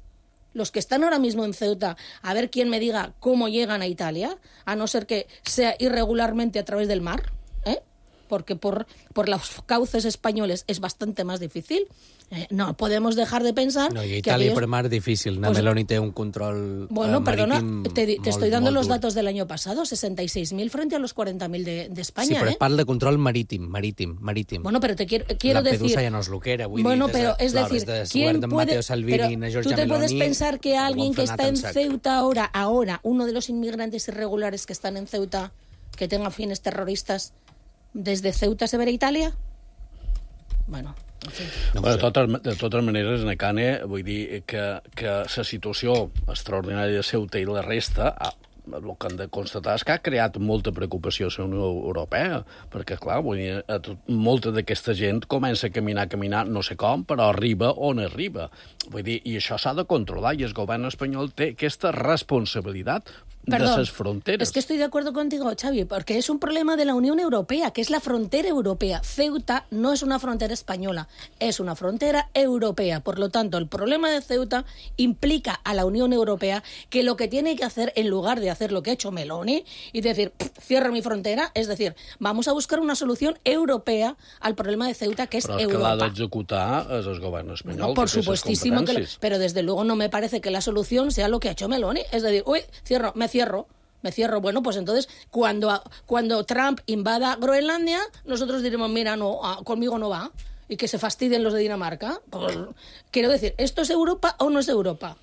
los que están ahora mismo en Ceuta, a ver quién me diga cómo llegan a Italia, a no ser que sea irregularmente a través del mar, ¿eh? Porque por, por los cauces españoles es bastante más difícil. Eh, no podemos dejar de pensar... No, i que Itàlia aquellos- per mar difícil. Na Pues- Meloni té un control Bueno, eh, perdona, marítim te, di- te molt, estoy dando molt los dur. datos del año pasado, sesenta y seis mil frente a los cuarenta mil de, de España, Sí, però ¿eh? es parla de control marítim, marítim, marítim. Bueno, pero te quiero, quiero Lampedusa decir... ja no és lo que era, vull bueno, dir, des pero de es l'hores decir, del ¿quién govern d'en puede... Matteo Salvini pero i na tú Giorgia te puedes Meloni, pensar que ho alguien han que frenat está en sac. Ceuta ahora, ahora, uno de los inmigrantes irregulares que están en Ceuta, que tenga fines terroristas, desde Ceuta se verá Italia? Bueno, en fin. No Bueno, sé. de, totes, de totes maneres, Necane, vull dir que, que la situació extraordinària de Ceuta i la resta, ah, el que hem de constatar és que ha creat molta preocupació a la Unió Europea, perquè, clar, vull dir, a tot, molta d'aquesta gent comença a caminar, a caminar, no sé com, però arriba on arriba. Vull dir, i això s'ha de controlar, i el govern espanyol té aquesta responsabilitat Perdón, de las fronteras. es que estoy de acuerdo contigo, Xavi, porque es un problema de la Unión Europea, que es la frontera europea. Ceuta no es una frontera española, es una frontera europea. Por lo tanto, el problema de Ceuta implica a la Unión Europea que lo que tiene que hacer, en lugar de hacer lo que ha hecho Meloni y decir, cierro mi frontera, es decir, vamos a buscar una solución europea al problema de Ceuta, que es Però és que l'ha Europa. d'executar és el govern espanyol. No, por que té ses supuestísimo, que lo- competències. pero desde luego no me parece que la solución sea lo que ha hecho Meloni. Es decir, uy, cierro, me cierro, me cierro. Bueno, pues entonces, cuando, cuando Trump invada Groenlandia, nosotros diremos, mira, no, ah, conmigo no va, y que se fastidien los de Dinamarca. Pues, quiero decir, ¿esto es Europa o no es Europa?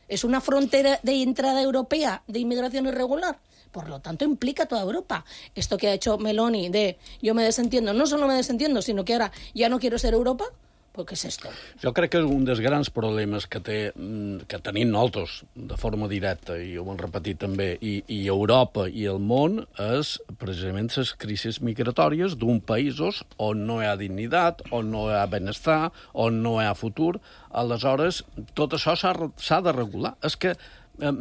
¿Es una frontera de entrada europea de inmigración irregular? Por lo tanto, implica toda Europa. Esto que ha hecho Meloni de yo me desentiendo, no solo me desentiendo, sino que ahora ya no quiero ser Europa, pues ¿qué es esto? Jo crec que un dels grans problemes que, té, mm, que tenim nosaltres de forma directa, i ho hem repetit també, i, i Europa i el món, és precisament les crisis migratòries d'un països on no hi ha dignitat, on no hi ha benestar, on no hi ha futur. Aleshores, tot això s'ha s'ha de regular. És que eh,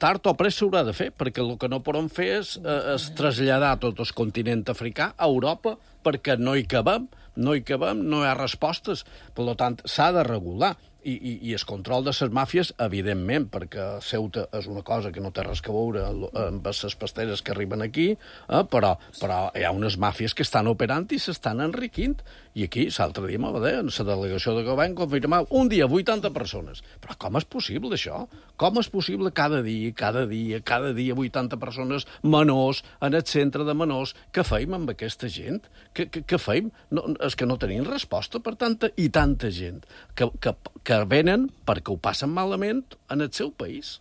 tard o pressa s'haurà de fer, perquè el que no podem fer és, eh, és traslladar tot el continent africà a Europa, perquè no hi cabem, no hi cabem, no hi ha respostes. Per tant, s'ha de regular. I, i, i el control de les màfies, evidentment, perquè Ceuta és una cosa que no té res que veure amb les pasteres que arriben aquí, eh, però, però hi ha unes màfies que estan operant i s'estan enriquint. I aquí, l'altre dia, m'ho va dir, en la delegació de govern confirmava un dia vuitanta persones. Però com és possible, això? Com és possible cada dia, cada dia, cada dia vuitanta persones menors en el centre de menors? Què feim amb aquesta gent? Què, què, què feim? No, és que no tenim resposta per tanta i tanta gent que, que, que venen perquè ho passen malament en el seu país.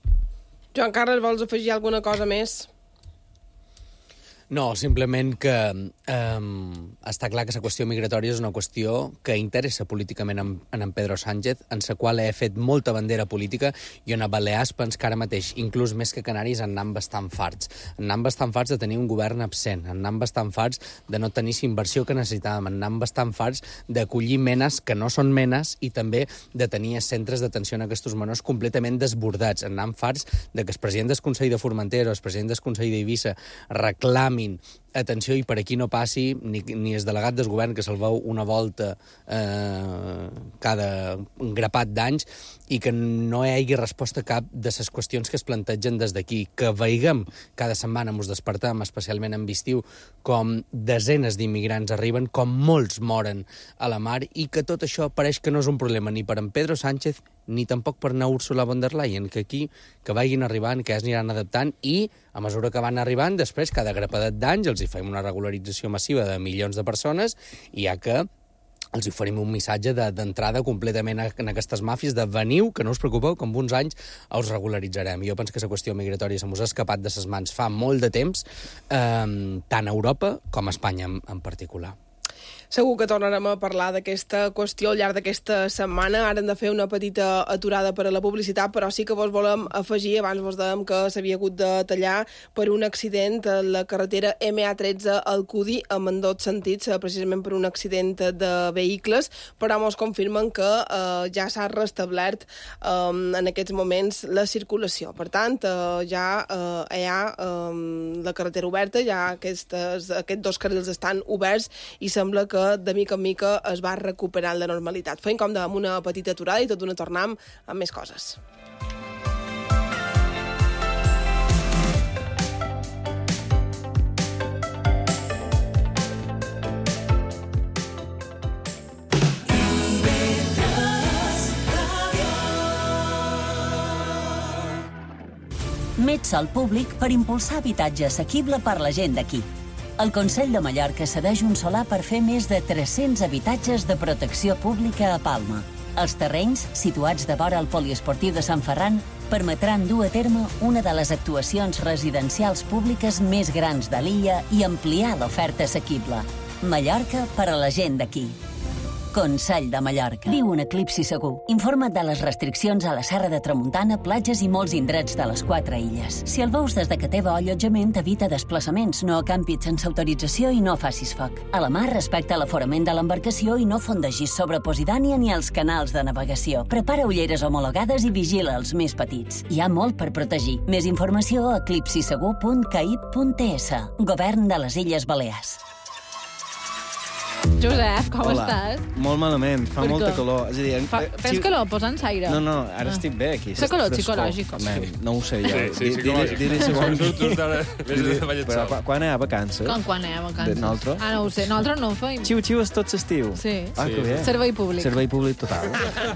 Joan Carles, vols afegir alguna cosa més? No, simplement que um, està clar que la qüestió migratòria és una qüestió que interessa políticament en, en, en Pedro Sánchez, en la qual he fet molta bandera política i on a Balears pens que ara mateix, inclús més que Canaris, en anam bastant farts. En anam bastant farts de tenir un govern absent, en anam bastant farts de no tenir la inversió que necessitàvem, en anam bastant farts d'acollir menes que no són menes i també de tenir centres d'atenció a aquests menors completament desbordats. En anam farts de que el president del Consell de Formentera o el president del Consell d'Eivissa reclamin atenció i per aquí no passi ni, ni el delegat del govern que se'l veu una volta eh, cada grapat d'anys i que no hi hagi resposta a cap de les qüestions que es plantegen des d'aquí. Que veiguem cada setmana, mos despertem, especialment en estiu, com desenes d'immigrants arriben, com molts moren a la mar i que tot això pareix que no és un problema ni per en Pedro Sánchez ni tampoc per anar Ursula von der Leyen, que aquí que vagin arribant, que ja s'aniran adaptant i a mesura que van arribant, després cada grapadet d'anys els hi fem una regularització massiva de milions de persones i ja que els oferim un missatge d'entrada completament en aquestes màfies, de veniu, que no us preocupeu, que en uns anys us regularitzarem. Jo penso que la qüestió migratòria se mos ha escapat de ses mans fa molt de temps, eh, tant a Europa com a Espanya en, en particular. Segur que tornarem a parlar d'aquesta qüestió al llarg d'aquesta setmana. Ara hem de fer una petita aturada per a la publicitat, però sí que vos volem afegir, abans vos dèiem que s'havia hagut de tallar per un accident a la carretera ema tretze al Cudi, en ambdós sentits, precisament per un accident de vehicles, però mos confirmen que eh, ja s'ha restablert eh, en aquests moments la circulació. Per tant, eh, ja eh, hi ha eh, la carretera oberta, ja aquestes, aquests dos carrils estan oberts i sembla que de mica en mica es va recuperant la normalitat. Fem com amb una petita aturada i tot d'una tornem amb més coses. Metsol Públic per impulsar habitatge assequible per la gent d'aquí. El Consell de Mallorca cedeix un solar per fer més de tres-cents habitatges de protecció pública a Palma. Els terrenys, situats de vora al poliesportiu de Sant Ferran, permetran dur a terme una de les actuacions residencials públiques més grans de l'illa i ampliar l'oferta assequible. Mallorca per a la gent d'aquí. Consell de Mallorca. Viu un eclipsi segur. Informa't de les restriccions a la Serra de Tramuntana, platges i molts indrets de les quatre illes. Si el veus des de que teva allotjament, evita desplaçaments, no acampis sense autorització i no facis foc. A la mar, respecta l'aforament de l'embarcació i no fondegis sobre Posidònia ni els canals de navegació. Prepara ulleres homologades i vigila els més petits. Hi ha molt per protegir. Més informació a eclipsisegur punt caib punt es. Govern de les Illes Balears. Josep, com Hola. estàs? Molt malament, fa Per molta què? calor. És a dir, Fa, eh, tens si- calor? Posa'ns aire. No, no, ara Ah. estic bé aquí. Fa calor Frescor. psicològic. Man, no ho sé jo. Sí, sí, Di- psicològic. Diré segon. Tu- tu estàs- Diré- vés a Però quan- quan hi ha vacances? Com quan anem a vacances? De nosaltres? Ah, no ho sé. Nosaltres no ho feim. Xiu-xiu és tot l'estiu. Sí. Ah, que bé. Servei públic. Servei públic total.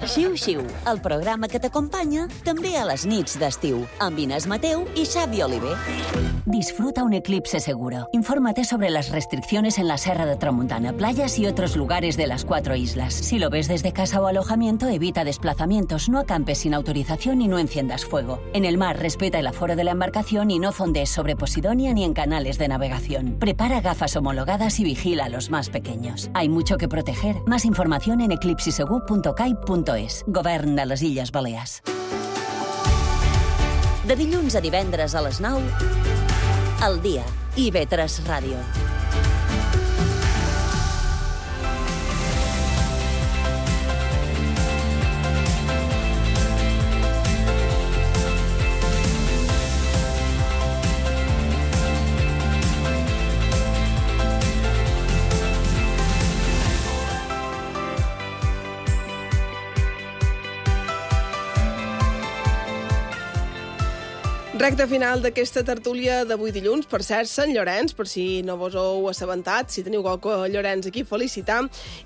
Xiu-xiu, el programa que t'acompanya també a les nits d'estiu, amb Inés Mateu y Xavi Oliver. Disfruta un eclipse seguro. Infórmate sobre las restricciones en la Serra de Tramuntana, playas y otros lugares de las cuatro islas. Si lo ves desde casa o alojamiento, evita desplazamientos, no acampes sin autorización y no enciendas fuego. En el mar, respeta el aforo de la embarcación y no fondees sobre Posidonia ni en canales de navegación. Prepara gafas homologadas y vigila a los más pequeños. Hay mucho que proteger. Más información en eclipsisegur punt caib punt es. Govern de les Illes Balears. De dilluns a divendres a les nou, al dia, i ve tres Ràdio. Recte final d'aquesta tertúlia d'avui dilluns, per cert, Sant Llorenç, per si no vos heu assabentat, si teniu qualque Llorenç aquí, felicitar.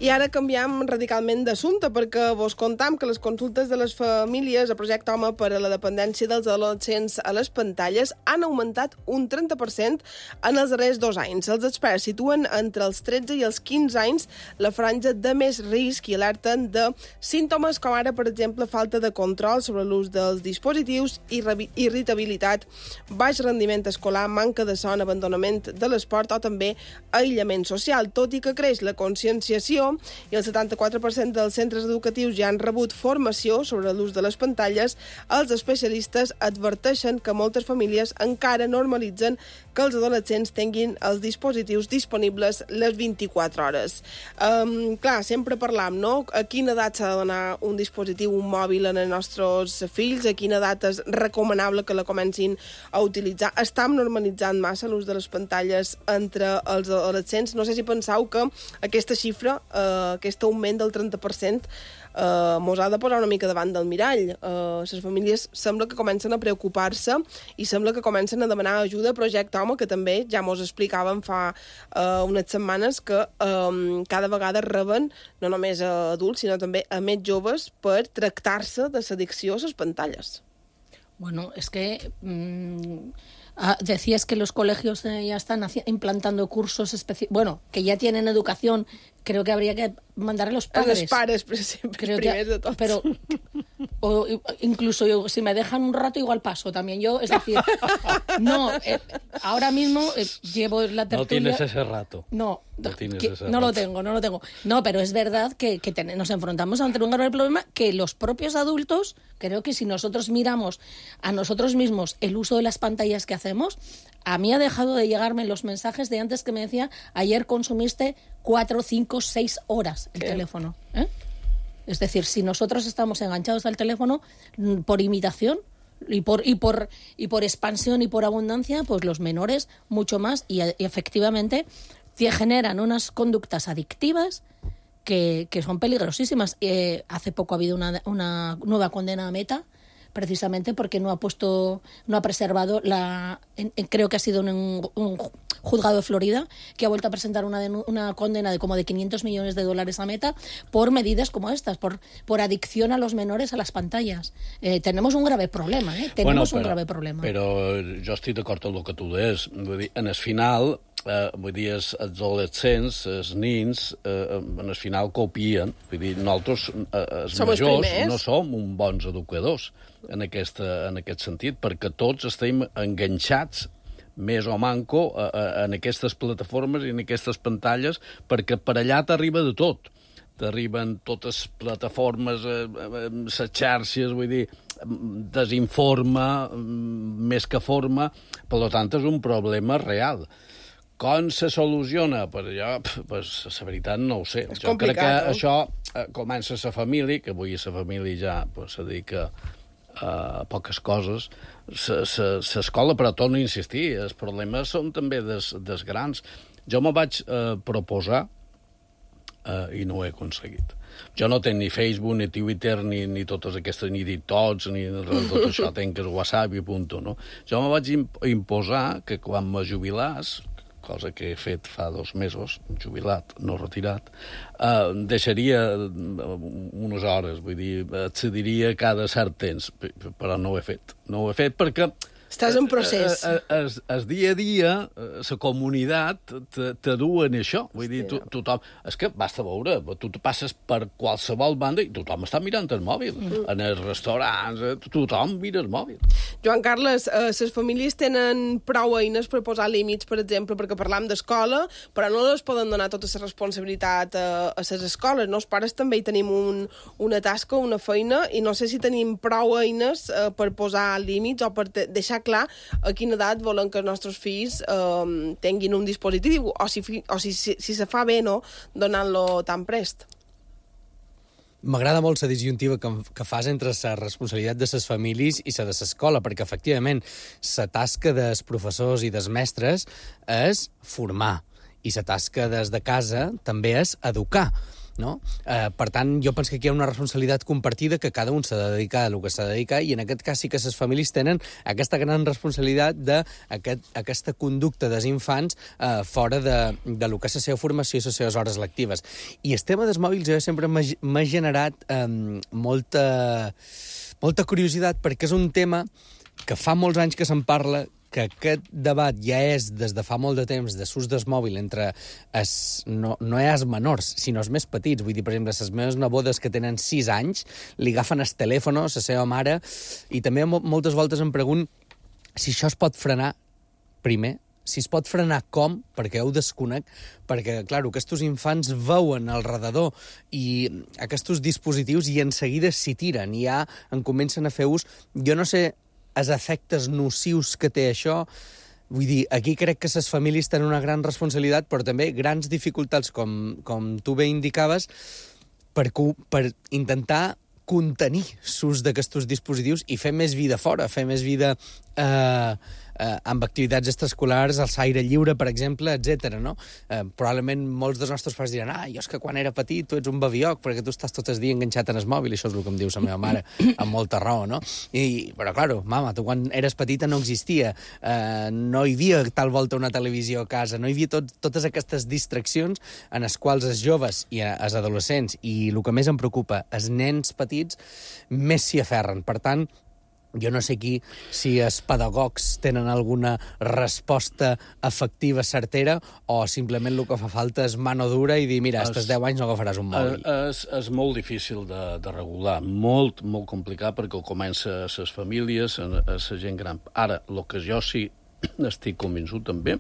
I ara canviem radicalment d'assumpte, perquè vos contam que les consultes de les famílies a Projecte Home per a la dependència dels adolescents a les pantalles han augmentat un trenta per cent en els darrers dos anys. Els experts situen entre els tretze i els quinze anys la franja de més risc i alerten de símptomes com ara, per exemple, falta de control sobre l'ús dels dispositius, irritabilitat, baix rendiment escolar, manca de son, abandonament de l'esport o també aïllament social. Tot i que creix la conscienciació i el setanta-quatre per cent dels centres educatius ja han rebut formació sobre l'ús de les pantalles, els especialistes adverteixen que moltes famílies encara normalitzen que els adolescents tinguin els dispositius disponibles les vint-i-quatre hores. Um, clar, sempre parlam, no? A quina edat s'ha de donar un dispositiu, un mòbil en els nostres fills, a quina edat és recomanable que la comencin a utilitzar. Estam normalitzant massa l'ús de les pantalles entre els adolescents. No sé si penseu que aquesta xifra, eh, aquest augment del trenta per cent, eh, mos ha de posar una mica davant del mirall. Eh, les famílies sembla que comencen a preocupar-se i sembla que comencen a demanar ajuda a Projecte Home, que també ja mos explicaven fa eh, unes setmanes que eh, cada vegada reben no només a adults, sinó també a més joves per tractar-se de l'addicció a les pantalles. Bueno, és que mm, Ah, decías que los colegios eh, ya están haci- implantando cursos específicos, bueno, que ya tienen educación, creo que habría que mandar a los padres. A los pares, per sempre, Creo primers que, de tots. pero o, incluso yo, si me dejan un rato igual paso también yo, es decir, no, eh, ahora mismo eh, llevo la tertulia... No tienes ese rato. No, No tienes que- ese no lo rato. tengo, no lo tengo. No, pero es verdad que, que ten- nos enfrentamos ante un grave problema que los propios adultos, creo que si nosotros miramos a nosotros mismos el uso de las pantallas que hacemos, a mí ha dejado de llegarme los mensajes de antes que me decía, ayer consumiste cuatro, cinco, seis horas el ¿Qué? teléfono. ¿eh? Es decir, si nosotros estamos enganchados al teléfono mm, por imitación y por, y, por, y por expansión y por abundancia, pues los menores mucho más y, y efectivamente te generan unas conductas adictivas que, que son peligrosísimas. Eh, hace poco ha habido una, una nueva condena a Meta, precisamente porque no ha puesto, no ha preservado la, en, en- creo que ha sido un, un juzgado de Florida que ha vuelto a presentar una, denu- una condena de como de quinientos millones de dólares a Meta por medidas como estas, por, por adicción a los menores a las pantallas. Eh, tenemos un grave problema, ¿eh? Tenemos un grave problema. Però jo estic d'acord amb el que tu deies. Vull dir, en el final, eh, vull dir, els, els adolescents, els nins, eh, en el final copien. Vull dir, nosaltres, eh, els Som els majors, primers. no som uns bons educadors en, aquesta, en aquest sentit, perquè tots estem enganxats més o manco a, a, en aquestes plataformes i en aquestes pantalles, perquè per allà t'arriba de tot. T'arriben totes plataformes, eh, eh, les xarxes, vull dir, desinforma, més que forma, per tant, és un problema real. Com se soluciona? Per allò, pues, la veritat no ho sé. És jo crec que complicat, no? això eh, comença a la família, que avui la família ja pues, se dedica a poques coses, s'escola, però torno a insistir, els problemes són també des, des grans. Jo me vaig eh, proposar eh, i no ho he aconseguit. Jo no tenc ni Facebook, ni Twitter, ni, ni totes aquestes, ni TikToks, ni res de tot això, tenc el WhatsApp i punt. No? Jo me vaig imp imposar que quan me jubilàs, cosa que he fet fa dos mesos, jubilat, no retirat, eh, deixaria unes hores, vull dir, accediria cada cert temps, però no ho he fet. No ho he fet perquè Estàs en procés. El, el dia a dia, la comunitat te, te du en això. Vull dir, to, tothom... És que basta veure, tu te passes per qualsevol banda i tothom està mirant el mòbil. Mm. En els restaurants, tothom mira el mòbil. Joan Carles, eh, les famílies tenen prou eines per posar límits, per exemple, perquè parlam d'escola, però no les poden donar tota la responsabilitat a, a les escoles. No? Els pares també hi tenim un, una tasca, una feina, i no sé si tenim prou eines eh, per posar límits o per deixar clar a quina edat volen que els nostres fills eh, tinguin un dispositiu, o si, o si, si, si se fa bé, no?, donant-lo tan prest. M'agrada molt la disjuntiva que, que fas entre la responsabilitat de les famílies i la de l'escola, perquè, efectivament, la tasca dels professors i dels mestres és formar, i la tasca des de casa també és educar. No? Eh, per tant, jo penso que aquí hi ha una responsabilitat compartida que cada un s'ha de dedicar a el que s'ha de dedicar, i en aquest cas sí que les famílies tenen aquesta gran responsabilitat d'aquesta aquest, conducta dels infants eh, fora de, de lo que és la seva formació i les seves hores lectives. I el tema dels mòbils jo sempre m'ha generat eh, molta, molta curiositat, perquè és un tema que fa molts anys que se'n parla, que aquest debat ja és des de fa molt de temps de s'ús del mòbil entre es, no, no és menors, sinó els més petits. Vull dir, per exemple, les meves nebodes que tenen sis anys li agafen el telèfon a la seva mare, i també moltes voltes em pregunto si això es pot frenar primer, si es pot frenar com, perquè ho desconec, perquè, clar, aquests infants veuen al redador i aquests dispositius i en seguida s'hi tiren, i ja en comencen a fer ús. Jo no sé els efectes nocius que té això. Vull dir, aquí crec que les famílies tenen una gran responsabilitat, però també grans dificultats, com, com tu bé indicaves, per, per intentar contenir l'ús d'aquests dispositius i fer més vida fora, fer més vida eh, eh, amb activitats extraescolars, al aire lliure, per exemple, etcètera. No? Eh, probablement molts dels nostres pares diran: ah, jo és que quan era petit tu ets un babioc perquè tu estàs tot el dia enganxat en el mòbil. Això és el que em diu la meva mare, amb molta raó, no? I, però, clar, mama, tu quan eres petita no existia, eh, no hi havia tal volta una televisió a casa, no hi havia tot, totes aquestes distraccions en les quals els joves i els adolescents, i el que més em preocupa, els nens petits, més s'hi aferren. Per tant, Jo no sé aquí si els pedagogs tenen alguna resposta efectiva, certera, o simplement el que fa falta és mano dura i dir, mira, estes deu anys no agafaràs un mòbil. És, és molt difícil de, de regular, molt, molt complicat, perquè ho comença a les famílies, a, a la gent gran. Ara, el que jo sí estic convençut també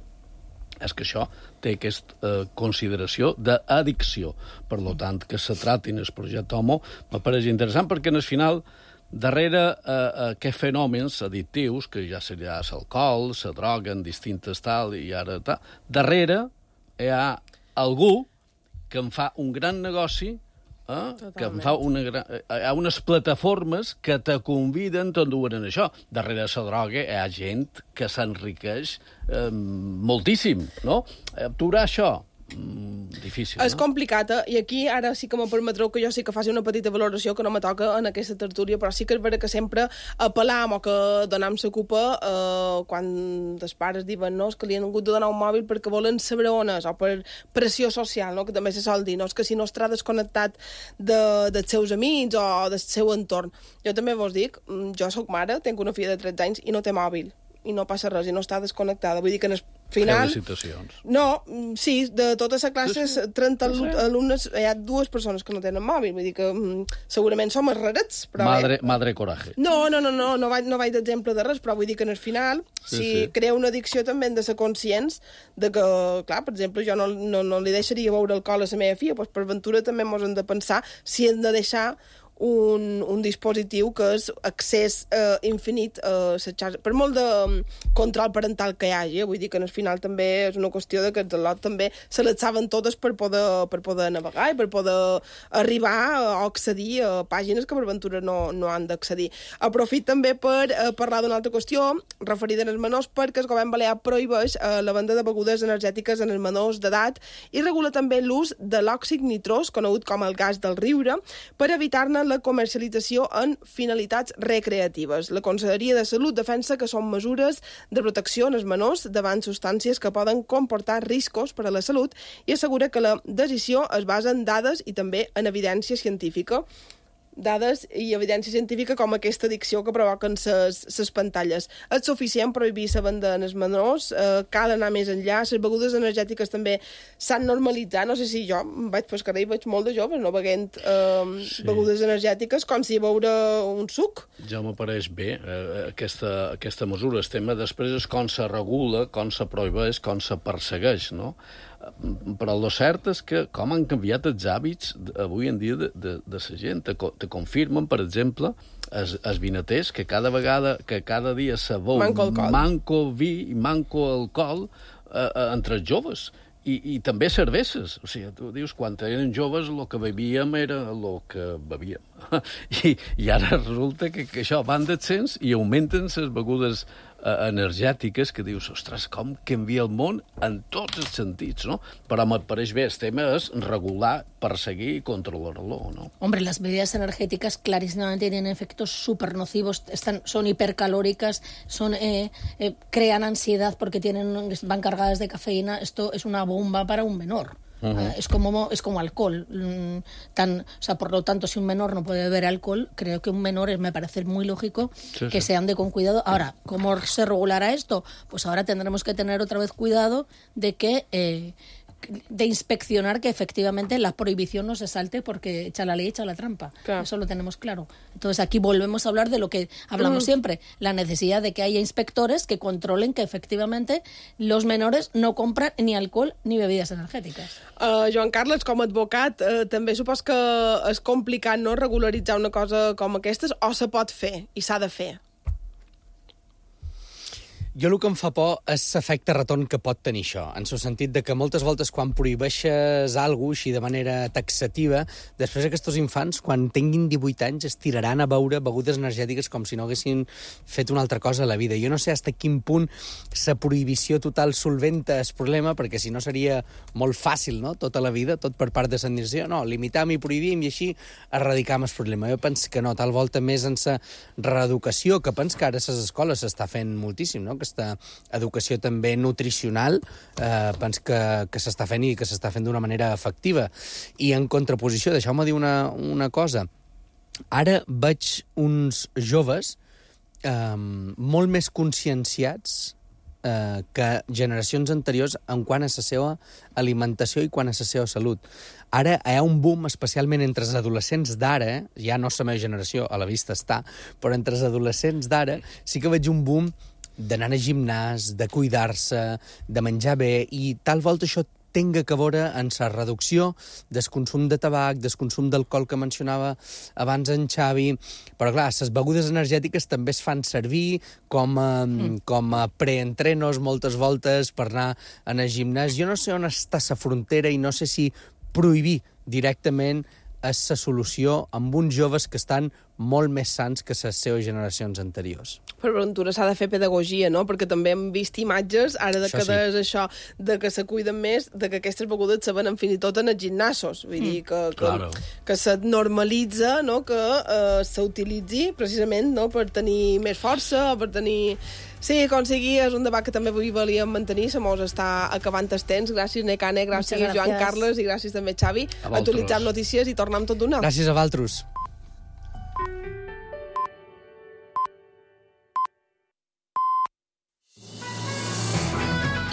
és que això té aquesta eh, consideració d'addicció. Per tant, que se tratin el projecte Homo m'apareix interessant, perquè en el final, darrere eh, aquests fenòmens addictius, que ja seria l'alcohol, la droga en distintes tal, i ara tal, darrere hi ha algú que en fa un gran negoci, eh, que en fa una gran... Hi ha unes plataformes que te conviden, t'enduen en això. Darrere la droga hi ha gent que s'enriqueix eh, moltíssim, no? Aturar això, mm, difícil, És no? complicat, eh? I aquí ara sí que me permetreu que jo sí que faci una petita valoració que no me toca en aquesta tertúlia, però sí que és vera que sempre apel·lam o que donem la culpa eh, quan els pares diuen no, és que li han hagut de donar un mòbil perquè volen saber on és, o per pressió social, no? Que també se sol dir, no? És que si no estarà desconnectat de, dels seus amics o del seu entorn. Jo també vos dic, jo sóc mare, tinc una filla de tretze anys i no té mòbil, i no passa res, i no està desconnectada. Vull dir que en el final... Felicitacions. No, sí, de tota la classe, Sí, sí. trenta Sí, sí. alumnes, hi ha dues persones que no tenen mòbil, vull dir que mm, segurament som els rarets, però... Madre, madre coraje. No, no, no, no, no vaig, no vaig d'exemple de res, però vull dir que en el final, Sí, si sí. crea una addicció també hem de ser conscients de que, clar, per exemple, jo no, no, no li deixaria beure alcohol a la meva filla, doncs per ventura també mos hem de pensar si hem de deixar un, un dispositiu que és accés eh, infinit a la xarxa, per molt de um, control parental que hi hagi, eh? Vull dir que al final també és una qüestió de que els lot també se les saben totes per poder, per poder navegar i per poder arribar o accedir a pàgines que per ventura no, no han d'accedir. Aprofit també per eh, parlar d'una altra qüestió referida als menors, perquè el govern balear prohibeix eh, la venda de begudes energètiques en els menors d'edat i regula també l'ús de l'òxid nitrós, conegut com el gas del riure, per evitar-ne la comercialització en finalitats recreatives. La Conselleria de Salut defensa que són mesures de protecció en els menors davant substàncies que poden comportar riscos per a la salut i assegura que la decisió es basa en dades i també en evidència científica. Dades i evidència científica com aquesta addicció que provoquen les pantalles. És suficient prohibir la venda en els menors, eh, cal anar més enllà, les begudes energètiques també s'han normalitzat, no sé si jo vaig pel carrer i veig molt de joves no beguent eh, sí. begudes energètiques com si beure un suc. Ja m'apareix bé eh, aquesta, aquesta mesura. El tema després és com se regula, com se prohibeix, com se persegueix, no? Però el cert és que com han canviat els hàbits avui en dia de, de, de la gent. Te, te confirmen, per exemple, els, els vinaters que cada vegada, que cada dia se veu manco, manco vi i manco alcohol eh, eh, entre els joves. I, i també cerveses. O sigui, tu dius, quan eren joves el que bevíem era el que bevíem. I, i ara resulta que, que això van descens i augmenten les begudes eh, energètiques que dius, ostres, com canvia el món en tots els sentits, no? Però me pareix bé, el tema és regular, perseguir i controlar-lo, ¿no? Hombre, las bebidas energéticas clarísimamente tienen efectos súper nocivos, están, son hipercalóricas, son, eh, eh, crean ansiedad porque tienen, van cargadas de cafeína. Esto es una bomba para un menor. Uh-huh. Uh, es como es como alcohol. Mm, tan, o sea, por lo tanto, si un menor no puede beber alcohol, creo que un menor, me parece muy lógico sí, que sí. se ande con cuidado. Ahora, ¿cómo se regulará esto? Pues ahora tendremos que tener otra vez cuidado de que... Eh, de inspeccionar que efectivamente la prohibición no se salte porque echa la ley, echa la trampa. Claro. Eso lo tenemos claro. Entonces aquí volvemos a hablar de lo que hablamos mm. siempre, la necesidad de que haya inspectores que controlen que efectivamente los menores no compran ni alcohol ni bebidas energètiques. Uh, Joan Carles, com a advocat, uh, també supos que és complicat no regularitzar una cosa com aquestes, o se pot fer i s'ha de fer? Jo el que em fa por és l'efecte retorn que pot tenir això, en el sentit de que moltes voltes quan prohibeixes alguna cosa així de manera taxativa, després aquests infants, quan tinguin divuit anys, es tiraran a beure begudes energètiques com si no haguessin fet una altra cosa a la vida. Jo no sé fins a quin punt la prohibició total solventa el problema, perquè si no seria molt fàcil, no?, tota la vida, tot per part de l'administració. No, limitam i prohibim i així erradicam el problema. Jo penso que no, tal volta més en la reeducació, que penso que ara a les escoles s'està fent moltíssim, no?, aquesta educació també nutricional, eh, penso que, que s'està fent i que s'està fent d'una manera efectiva. I en contraposició, deixeu-me dir una, una cosa. Ara veig uns joves eh, molt més conscienciats eh, que generacions anteriors en quant a la seva alimentació i quant a la seva salut. Ara hi ha un boom, especialment entre els adolescents d'ara, ja no la meva generació, a la vista està, però entre els adolescents d'ara sí que veig un boom d'anar a gimnàs, de cuidar-se, de menjar bé, i tal volta això tenga que veure en la reducció del consum de tabac, del consum d'alcohol que mencionava abans en Xavi. Però, clar, les begudes energètiques també es fan servir com a, mm. com a preentrenos moltes voltes per anar a anar al gimnàs. Jo no sé on està la frontera i no sé si prohibir directament és la solució amb uns joves que estan molt més sants que les seves generacions anteriors. Per ventura s'ha de fer pedagogia, no? Perquè també hem vist imatges, ara de això que sí. des això, de que se cuiden més, de que aquestes begudes se venen fins i tot en els gimnasos. Vull dir, que, que, Claro. que se normalitza, no? Que eh, s'utilitzi precisament, no? Per tenir més força, per tenir... Sí, com sigui, és un debat que també avui volíem mantenir, se mos està acabant el temps. Gràcies, Necane, gràcies, Muchas Joan gracias. Carles, i gràcies també, Xavi. A vosaltres. Actualitzem notícies i tornem tot d'una. Gràcies a vosaltres.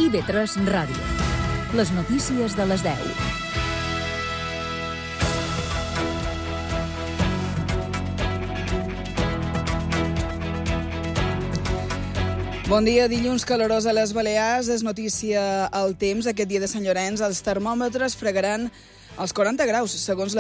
I V tres Ràdio. Les notícies de les deu. Bon dia, dilluns calorós a les Balears. És notícia al temps. Aquest dia de Sant Llorenç els termòmetres fregaran els quaranta graus, segons la